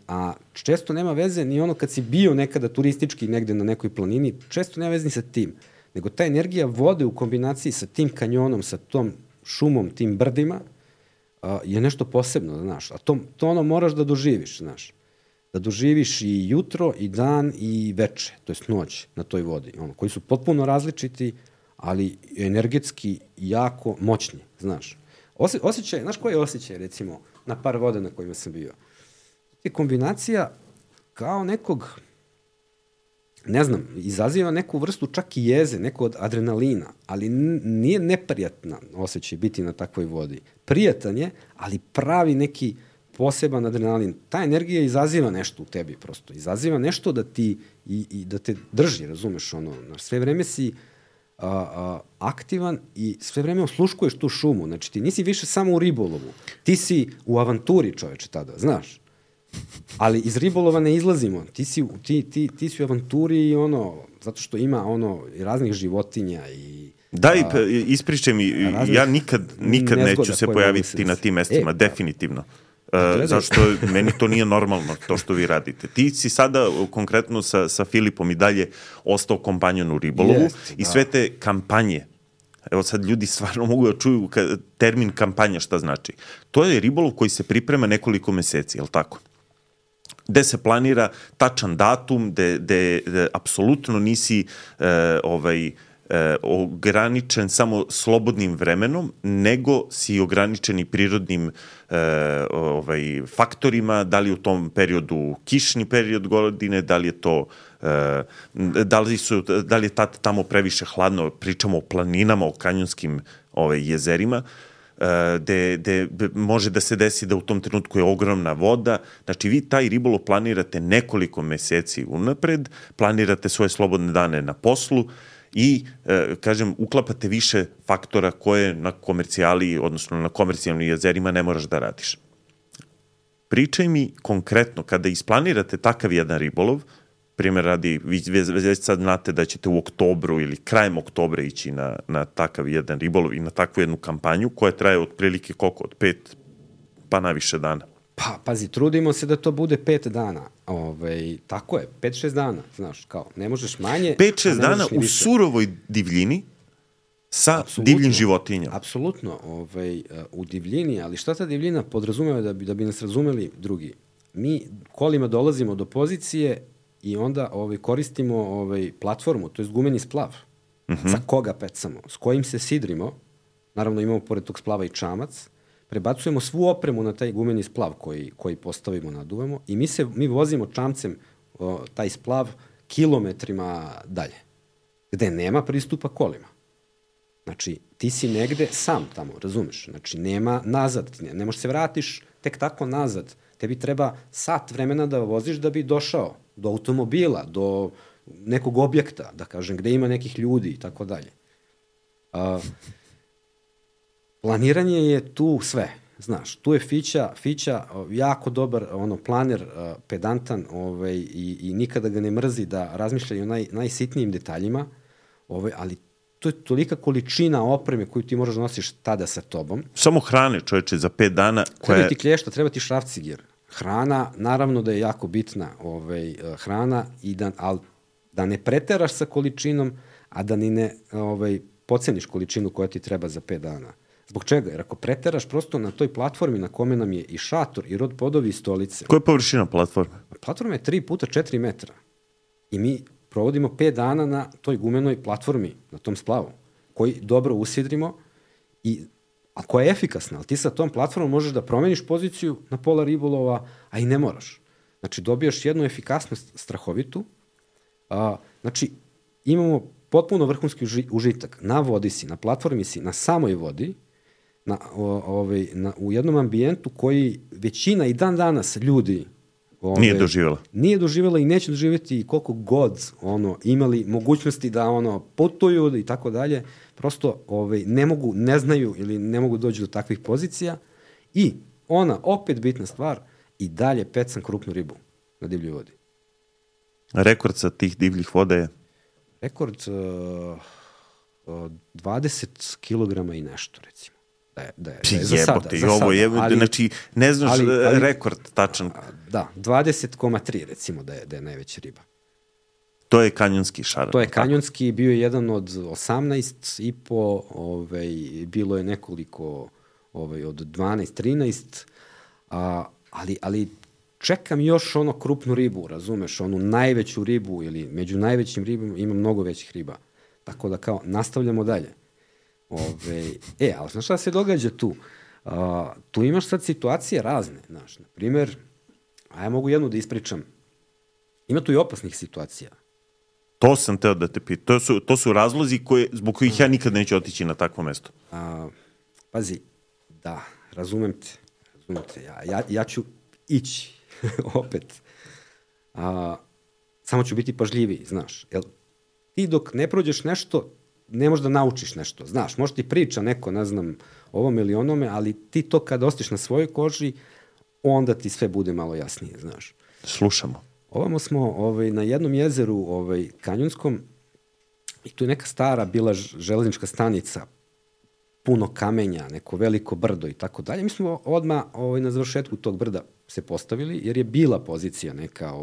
A često nema veze ni kad si bio nekada turistički negde na nekoj planini, često nema veze ni sa tim. Nego ta energija vode u kombinaciji sa tim kanjonom, sa tom šumom, tim brdima, je nešto posebno, znaš. A to moraš da doživiš, znaš. da doživiš i jutro, i dan, i veče, to jest noć na toj vodi, koji su potpuno različiti, ali energetski jako moćni, znaš. Osjećaj, znaš koji je osjećaj, recimo, na par voda na kojima sam bio? Je kombinacija kao nekog, ne znam, izaziva neku vrstu čak i jeze, neko od adrenalina, ali nije neprijatna osjećaj biti na takvoj vodi. Prijatan je, ali pravi neki poseban adrenalin. Ta energija izaziva nešto u tebi prosto. Izaziva nešto da ti i da te drži, razumeš, sve vreme si aktivan i sve vreme osluškuješ tu šumu. Znači, ti nisi više samo u ribolovu. Ti si u avanturi, čoveče, tada, znaš. Ali iz ribolova ne izlazimo. Ti si u avanturi i zato što ima raznih životinja i... Daj, ispričaj mi, ja nikad neću se pojaviti na tim mestima, definitivno. Zašto meni to nije normalno, to što vi radite. Ti si sada konkretno sa Filipom i dalje ostao kompanjon u ribolovu i sve te kampanje, evo sad ljudi stvarno mogu da čuju termin kampanja šta znači. To je ribolov koji se priprema nekoliko meseci, je li tako? Gde se planira tačan datum, gde apsolutno nisi ograničen samo slobodnim vremenom, nego si ograničen i prirodnim faktorima, da li u tom periodu kišni period godine, da li je to da li je tamo previše hladno, pričamo o planinama, o kanjonskim jezerima, gde može da se desi da u tom trenutku je ogromna voda. Znači, vi taj ribolov planirate nekoliko meseci unapred, planirate svoje slobodne dane na poslu i, kažem, uklapate više faktora koje na komercijali, odnosno na komercijalnim jezerima ne moraš da radiš. Pričaj mi konkretno, kada isplanirate takav jedan ribolov, primjer radi, vi već sad znate da ćete u oktobru ili krajem oktobra ići na takav jedan ribolov i na takvu jednu kampanju koja traje otprilike koliko? Od 5 pa na više dana. Pa, pazi, trudimo se da to bude 5 dana. Tako je, 5-6 dana, znaš, kao, ne možeš manje. 5-6 dana u surovoj divljini sa divljim životinjama. Apsolutno, u divljini, ali šta ta divljina podrazumeva da bi nas razumeli drugi? Mi kolima dolazimo do pozicije i onda koristimo platformu, to je gumeni splav. Za koga pecamo, s kojim se sidrimo, naravno imamo pored tog splava i čamac, prebacujemo svu opremu na taj gumeni splav koji postavimo, naduvamo i mi vozimo čamcem taj splav kilometrima dalje, gde nema pristupa kolima. Znači, ti si negde sam tamo, razumeš? Znači, nema nazad, ne možeš se vratiš tek tako nazad. Tebi treba sat vremena da voziš da bi došao do automobila, do nekog objekta, da kažem, gde ima nekih ljudi i tako dalje. Planiranje je tu sve, znaš, tu je Fića jako dobar planer, pedantan i nikada ga ne mrzi da razmišlja o najsitnijim detaljima, ali to je tolika količina opreme koju ti moraš da nosiš tada sa tobom. Samo hrane, čoveče, za 5 dana. Treba ti klješta, treba ti šrafcigir. Hrana, naravno da je jako bitna hrana, ali da ne preteraš sa količinom, a da ni ne podceniš količinu koja ti treba za 5 dana. Zbog čega? Jer ako preteraš prosto na toj platformi na kome nam je i šator, i rod podovi, i stolice. Koja je površina platforme? Platforma je 3 puta 4 metra. I mi provodimo 5 dana na toj gumenoj platformi, na tom splavu, koji dobro usidrimo, a koja je efikasna. Ali ti sa tom platformom možeš da promeniš poziciju na pola ribolova, a i ne moraš. Znači, dobijaš jednu efikasnost strahovitu. Znači, imamo potpuno vrhunski užitak. Na vodi si, na platformi si, na samoj vodi, u jednom ambijentu koji većina i dan danas ljudi nije doživjela. Nije doživjela i neće doživjeti koliko god imali mogućnosti da putuju i tako dalje. Prosto ne mogu, ne znaju ili ne mogu doći do takvih pozicija. I opet bitna stvar, i dalje pecam krupnu ribu na divljoj vodi. Rekord sa tih divljih voda je? Rekord 20 kilograma i nešto, recimo. Da je za sada. Znači, ne znaš rekord tačan. Da, 20,3 recimo da je najveća riba. To je kanjonski šaran. To je kanjonski, bio je jedan od 18,5, bilo je nekoliko od 12, 13, ali čekam još ono krupnu ribu, razumeš, onu najveću ribu ili među najvećim ribama ima mnogo većih riba. Tako da kao nastavljamo dalje. Ali znaš šta se događa tu? Tu imaš sad situacije razne, znaš, na primjer, a ja mogu jednu da ispričam, ima tu i opasnih situacija. To sam teo da te pitam. To su razlozi zbog kojih ja nikad neću otići na takvo mesto. Pazi, da, razumem te. Ja ću ići opet. Samo ću biti pažljiviji, znaš. Jel, ti dok ne prođeš nešto, ne možeš da naučiš nešto, znaš. Možda ti priča neko, ne znam, ovom ili onome, ali ti to kad ostiš na svojoj koži, onda ti sve bude malo jasnije, znaš. Slušamo. Ovamo smo na jednom jezeru kanjonskom i tu je neka stara bila železnička stanica, puno kamenja, neko veliko brdo i tako dalje. Mi smo odmah na završetku tog brda se postavili, jer je bila pozicija neka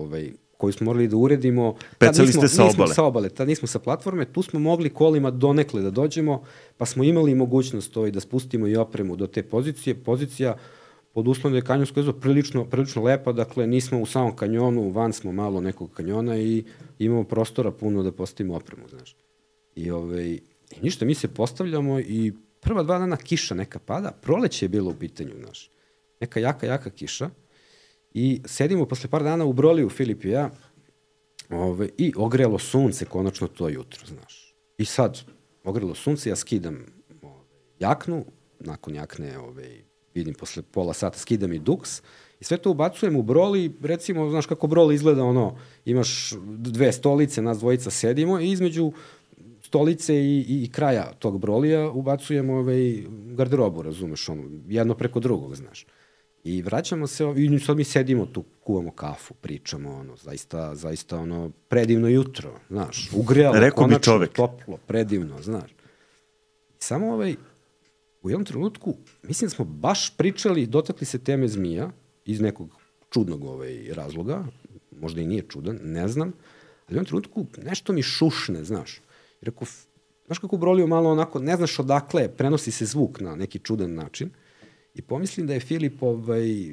koju smo morali da uredimo. Pecali ste sa obale? Nismo sa obale, tad nismo sa platforme, tu smo mogli kolima donekle da dođemo, pa smo imali mogućnost da spustimo i opremu do te pozicije. Pozicija pod uslovom da je kanjonsko jezero prilično lepa, dakle nismo u samom kanjonu, van smo malo nekog kanjona i imamo prostora puno da postavimo opremu, znaš. I ništa, mi se postavljamo i prva 2 dana kiša neka pada, proleće je bilo u pitanju, znaš. Neka jaka kiša i sedimo posle par dana u Broliju, Filip i ja, i ogrelo sunce konačno to jutro, znaš. I sad, ogrelo sunce, ja skidam jaknu, nakon jakne, vidim posle pola sata, skidam i duks i sve to ubacujem u broli, recimo, znaš kako broli izgleda, imaš 2 stolice, nas dvojica sedimo i između stolice i kraja tog brolija ubacujem garderobu, razumeš, jedno preko drugog, znaš. I vraćamo se, i sad mi sedimo tu, kuvamo kafu, pričamo, zaista predivno jutro, znaš, ugrelo, konačno, toplo, predivno, znaš. I samo u jednom trenutku, mislim da smo baš pričali, dotakli se teme zmija, iz nekog čudnog razloga, možda i nije čudan, ne znam, ali u jednom trenutku nešto mi šušne, znaš. I rekao, znaš kako Broliju malo onako, ne znaš odakle, prenosi se zvuk na neki čudan način. I pomislim da je Filip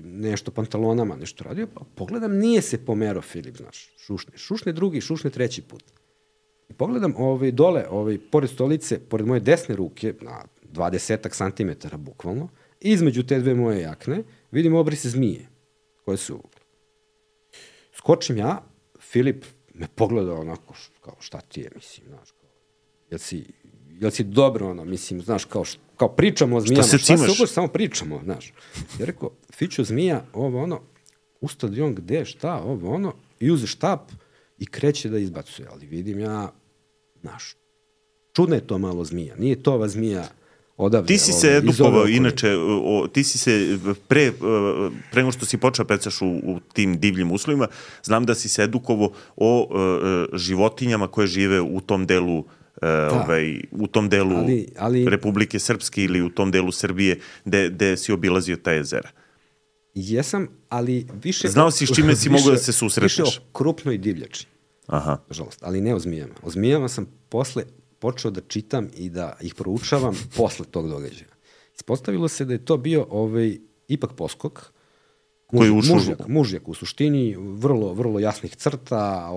nešto pantalonama, nešto radio, pa pogledam, nije se pomerao Filip, znaš, šušne drugi, šušne treći put. I pogledam dole, pored stolice, pored moje desne ruke, na 20 santimetara bukvalno, između te 2 moje jakne, vidim obrise zmije, koje su uvukle. Skočim ja, Filip me pogleda onako, kao šta ti je, mislim, znaš, jel si dobro, mislim, znaš, kao pričamo o zmijama. Šta se cimaš? Samo pričamo, znaš. Ja rekao, fiću zmija, ustade on gde, šta, i uze štap i kreće da izbacuje. Ali vidim ja, znaš, čudna je to malo zmija. Nije to ova zmija odavde. Ti si se edukovao, inače, ti si se pre nego što si počeo pecaš u tim divljim uslovima, znam da si se edukovao o životinjama koje žive u tom delu Republike Srpske ili u tom delu Srbije gde si obilazio ta jezera. Jesam, ali više... Znao si s čime si mogao da se susretneš? Više o krupnoj divljači. Aha. Nažalost, ali ne o zmijama. O zmijama sam posle počeo da čitam i da ih proučavam posle tog događaja. Ispostavilo se da je to bio ipak poskok. Mužjak u suštini, vrlo jasnih crta,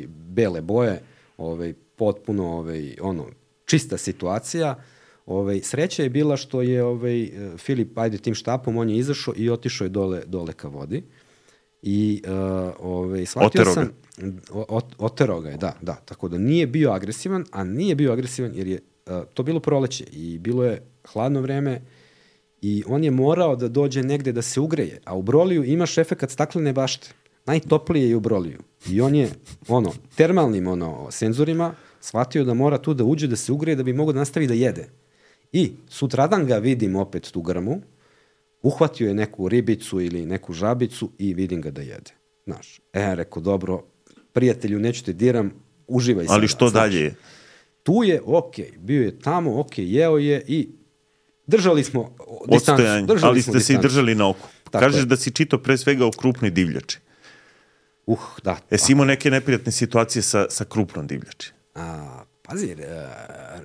bele boje, potpuno čista situacija. Sreća je bila što je Filip, tim štapom, on je izašao i otišao je dole ka vodi. I shvatio sam... Oterao ga je, da. Tako da nije bio agresivan, a nije bio agresivan jer je to bilo proleće i bilo je hladno vreme i on je morao da dođe negde da se ugreje. A u Broliju imaš efekat staklene bašte. Najtoplije je u Broliju. I on je termalnim senzorima shvatio da mora tu da uđe, da se ugreje, da bi mogao da nastavi da jede. I sutradan ga vidim opet tu grmu, uhvatio je neku ribicu ili neku žabicu i vidim ga da jede. Znaš, rekao, dobro, prijatelju, neću te diram, uživaj sada. Ali što dalje je? Tu je, bio je tamo, jeo je i držali smo distancu. Ali ste se i držali na oku. Kažeš da si čitao pre svega o krupnoj divljači. Da. Jesi imao neke neprijatne situacije sa krupnom divljači? Pazi,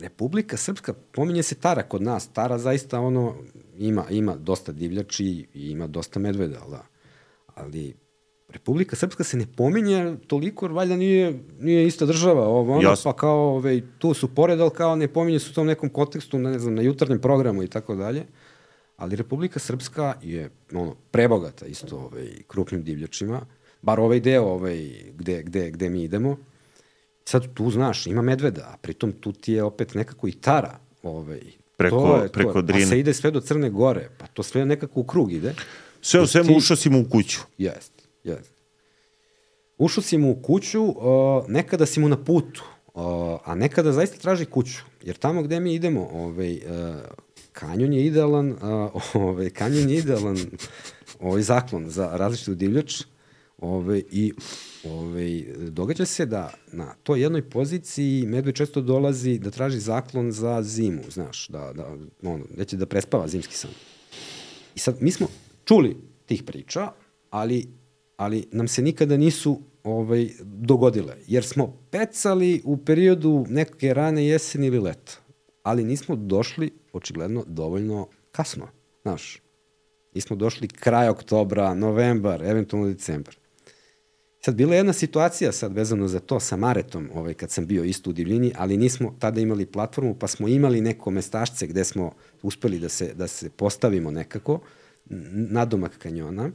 Republika Srpska, pominje se Tara kod nas. Tara zaista ima dosta divljači i ima dosta medveda, da. Ali Republika Srpska se ne pominje toliko, jer valjda nije ista država, pa kao, tu su pored, ali kao ne pominje se u tom nekom kontekstu, ne znam, na jutarnjem programu i tako dalje, ali Republika Srpska je prebogata isto krupnim divljačima, bar ovaj deo gde mi idemo. Sad tu, znaš, ima medveda, a pritom tu ti je opet nekako i Tara, preko Drine. Pa se ide sve do Crne Gore, pa to sve nekako u krug ide. Sve u svemu ušao si mu u kuću. Jeste. Ušao si mu u kuću, nekada si mu na putu, a nekada zaista traži kuću, jer tamo gde mi idemo, kanjon je idealan, zaklon za različitu divljač, i događa se da na toj jednoj poziciji medved često dolazi da traži zaklon za zimu, znaš, neće da prespava zimski san. I sad, mi smo čuli tih priča, ali nam se nikada nisu dogodile, jer smo pecali u periodu neke rane jeseni ili leta, ali nismo došli, očigledno, dovoljno kasno, znaš. Nismo došli kraj oktobra, novembar, eventualno decembar. Sad, bila je jedna situacija sad vezano za to sa Maretom, kad sam bio isto u divljini, ali nismo tada imali platformu, pa smo imali neko mestašce gde smo uspeli da se postavimo nekako, nadomak kanjona,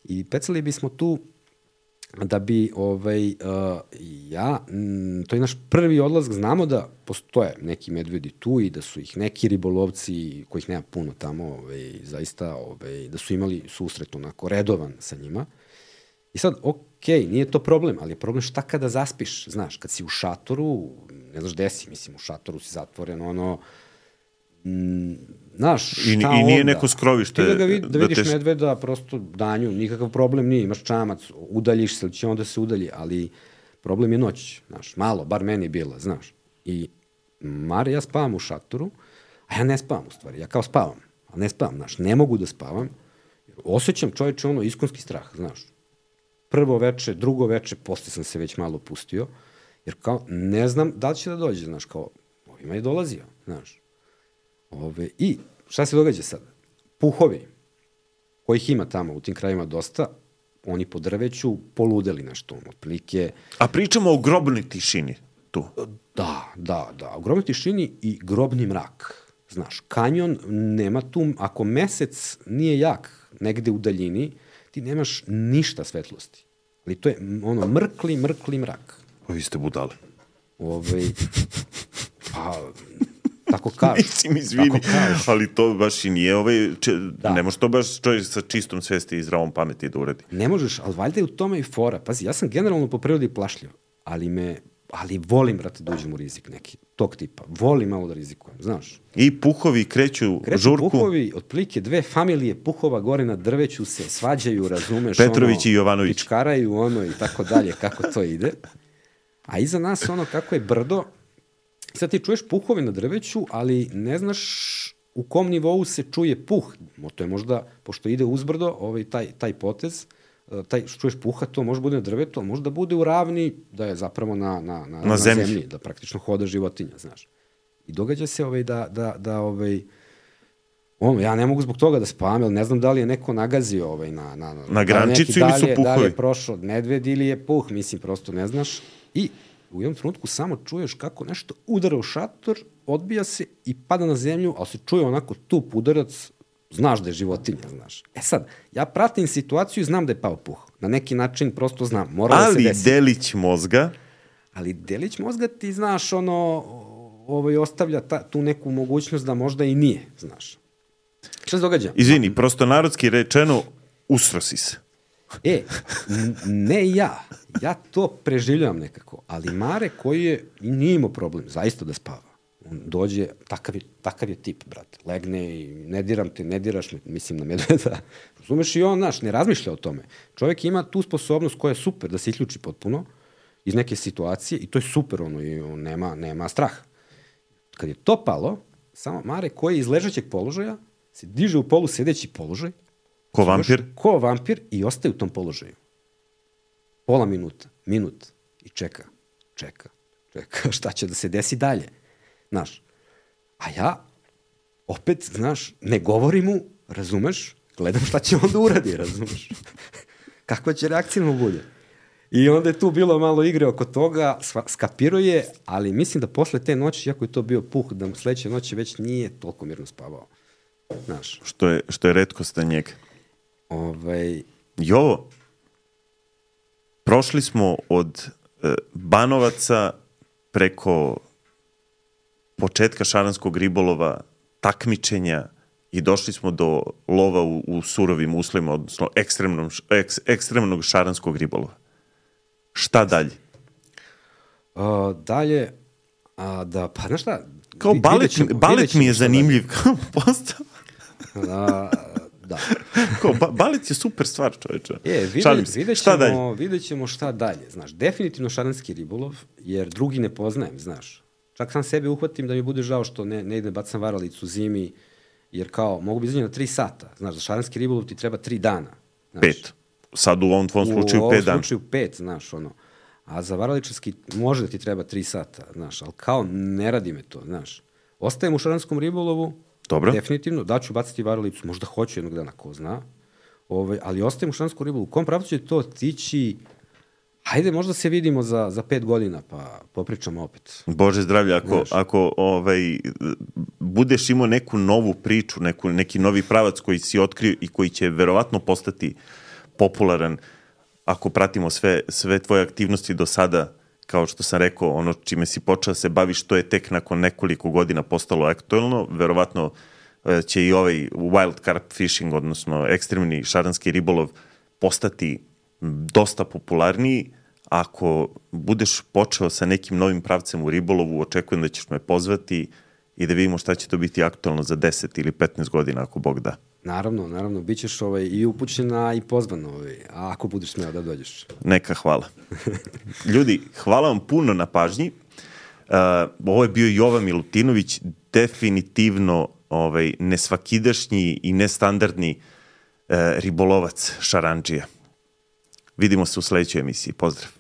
i pecali bismo tu da bi to je naš prvi odlazak, znamo da postoje neki medvedi tu i da su ih neki ribolovci, kojih nema puno tamo, zaista, da su imali susret onako redovan sa njima. I sad, nije to problem, ali je problem šta kada zaspiš, znaš, kad si u šatoru, ne znaš gde si, mislim, u šatoru si zatvoren, znaš, šta onda? I nije neko skrovište. Ti da vidiš medveda, prosto danju, nikakav problem nije, imaš čamac, udaljiš se, ili će onda se udalji, ali problem je noć, znaš, malo, bar meni je bila, znaš. I Mare, ja spavam u šatoru, a ja ne spavam u stvari, ja kao spavam, ali ne spavam, znaš, ne mogu da spavam, osjećam čoveče iskonski strah, znaš. Prvo veče, drugo veče, posle sam se već malo pustio, jer kao ne znam da li će da dođe, znaš, kao ovima je dolazio, znaš. I šta se događa sad? Puhovi, kojih ima tamo u tim krajima dosta, oni po drveću poludeli nešto, otprilike. A pričamo o grobnoj tišini tu. Da, o grobnoj tišini i grobni mrak. Znaš, kanjon nema tu, ako mesec nije jak negde u daljini, ti nemaš ništa svetlosti. Ali to je mrkli mrak. Vi ste budale. Tako kažu. Mislim, izvini, ali to baš i nije ne može to baš čovjek sa čistom svesti i zdravom pameti da uradi. Ne možeš, ali valjda je u tome i fora. Pazi, ja sam generalno po prirodi plašljiv, ali volim, brate, da uđem u rizik neki, tog tipa. Volim malo da rizikujem, znaš. I puhovi kreću žurku. Puhovi, otprilike 2 familije puhova gore na drveću se svađaju, razumeš, Petrović i Jovanović. Pičkaraju, i tako dalje, kako to ide. A iza nas, kako je brdo, sad ti čuješ puhove na drveću, ali ne znaš u kom nivou se čuje puh. To je možda, pošto ide uzbrdo, taj potez, što čuješ puha, to može bude na drvetu, ali može da bude u ravni, da je zapravo na zemlji, da praktično hoda životinja, znaš. I događa se ja ne mogu zbog toga da spavam, jer ne znam da li je neko nagazio na grančicu ili su puhovi. Da li je prošao medved ili je puh, mislim, prosto ne znaš. I u jednom trenutku samo čuješ kako nešto udara u šator, odbija se i pada na zemlju, ali se čuje onako tup udarac, znaš da je životinja, znaš. Sad, ja pratim situaciju i znam da je pao puh. Na neki način prosto znam, mora da se desi. Ali delić mozga? Ali delić mozga ti, znaš, ostavlja tu neku mogućnost da možda i nije, znaš. Šta se događa? Izvini, prosto narodski rečeno, usro si se. Ne ja. Ja to preživljavam nekako, ali Mare koji je nije imao problem, zaista da spava. On dođe, takav je tip, brate. Legne i ne diram te, ne diraš me, mislim na medveda. Razumeš, i on, znaš, ne razmišlja o tome. Čovjek ima tu sposobnost koja je super da se isključi potpuno iz neke situacije i to je super, i on nema straha. Kad je to palo, samo Mare koji je iz ležećeg položaja se diže u polusedeći položaj. Ko vampir i ostaje u tom položaju. Pola minuta, minut i čeka, šta će da se desi dalje, znaš. A ja, opet, znaš, ne govorim mu, razumeš, gledam šta će on da uradi, razumeš. kakva će reakcija mu bude. I onda je tu bilo malo igre oko toga, skapirao je, ali mislim da posle te noći, iako je to bio puh, da mu sledeće noći već nije toliko mirno spavao. Znaš. Što je retkost na njega. I ovo, prošli smo od Banovaca preko početka šaranskog ribolova, takmičenja i došli smo do lova u surovim uslovima, odnosno ekstremnog šaranskog ribolova. Šta dalje? Dalje, pa znaš šta? Kao balet mi je zanimljiv kao postav. Da. Balet je super stvar, čoveče. Vidjet ćemo šta dalje. Znaš, definitivno šaranski ribolov, jer drugi ne poznajem, znaš. Čak sam sebe uhvatim da mi bude žao što ne idem bacam varalicu zimi, jer kao, mogu bi izaći na 3 sata. Znaš, za šaranski ribolov ti treba 3 dana. Znaš. 5. Sad u ovom tvom slučaju 5 dana. U ovom slučaju 5, znaš, ono. A za varaličarski može da ti treba 3 sata, znaš, ali kao ne radi me to, znaš. Ostajem u šaranskom ribolovu, dobro. Definitivno, da ću baciti varalicu, možda hoću jednog dana, ko zna, ali ostajem u šaranskom ribolovu. U kom pravcu će to tići? Hajde, možda se vidimo za 5 godina, pa popričamo opet. Bože zdravlje, ako budeš imao neku novu priču, neki novi pravac koji si otkrio i koji će verovatno postati popularan, ako pratimo sve tvoje aktivnosti do sada, kao što sam rekao, ono čime si počeo da se baviš, to je tek nakon nekoliko godina postalo aktuelno, verovatno će i ovaj wild carp fishing, odnosno ekstremni šaranski ribolov, postati dosta popularniji. Ako budeš počeo sa nekim novim pravcem u ribolovu, očekujem da ćeš me pozvati i da vidimo šta će to biti aktuelno za 10 ili 15 godina, ako Bog da. Naravno, bit ćeš i upućena i pozvan, a ako budeš smeo da dođeš. Neka, hvala. Ljudi, hvala vam puno na pažnji. Ovo je bio Jovan Milutinović, definitivno nesvakidašnji i nestandardni ribolovac šarandžija. Vidimo se u sledećoj emisiji. Pozdrav.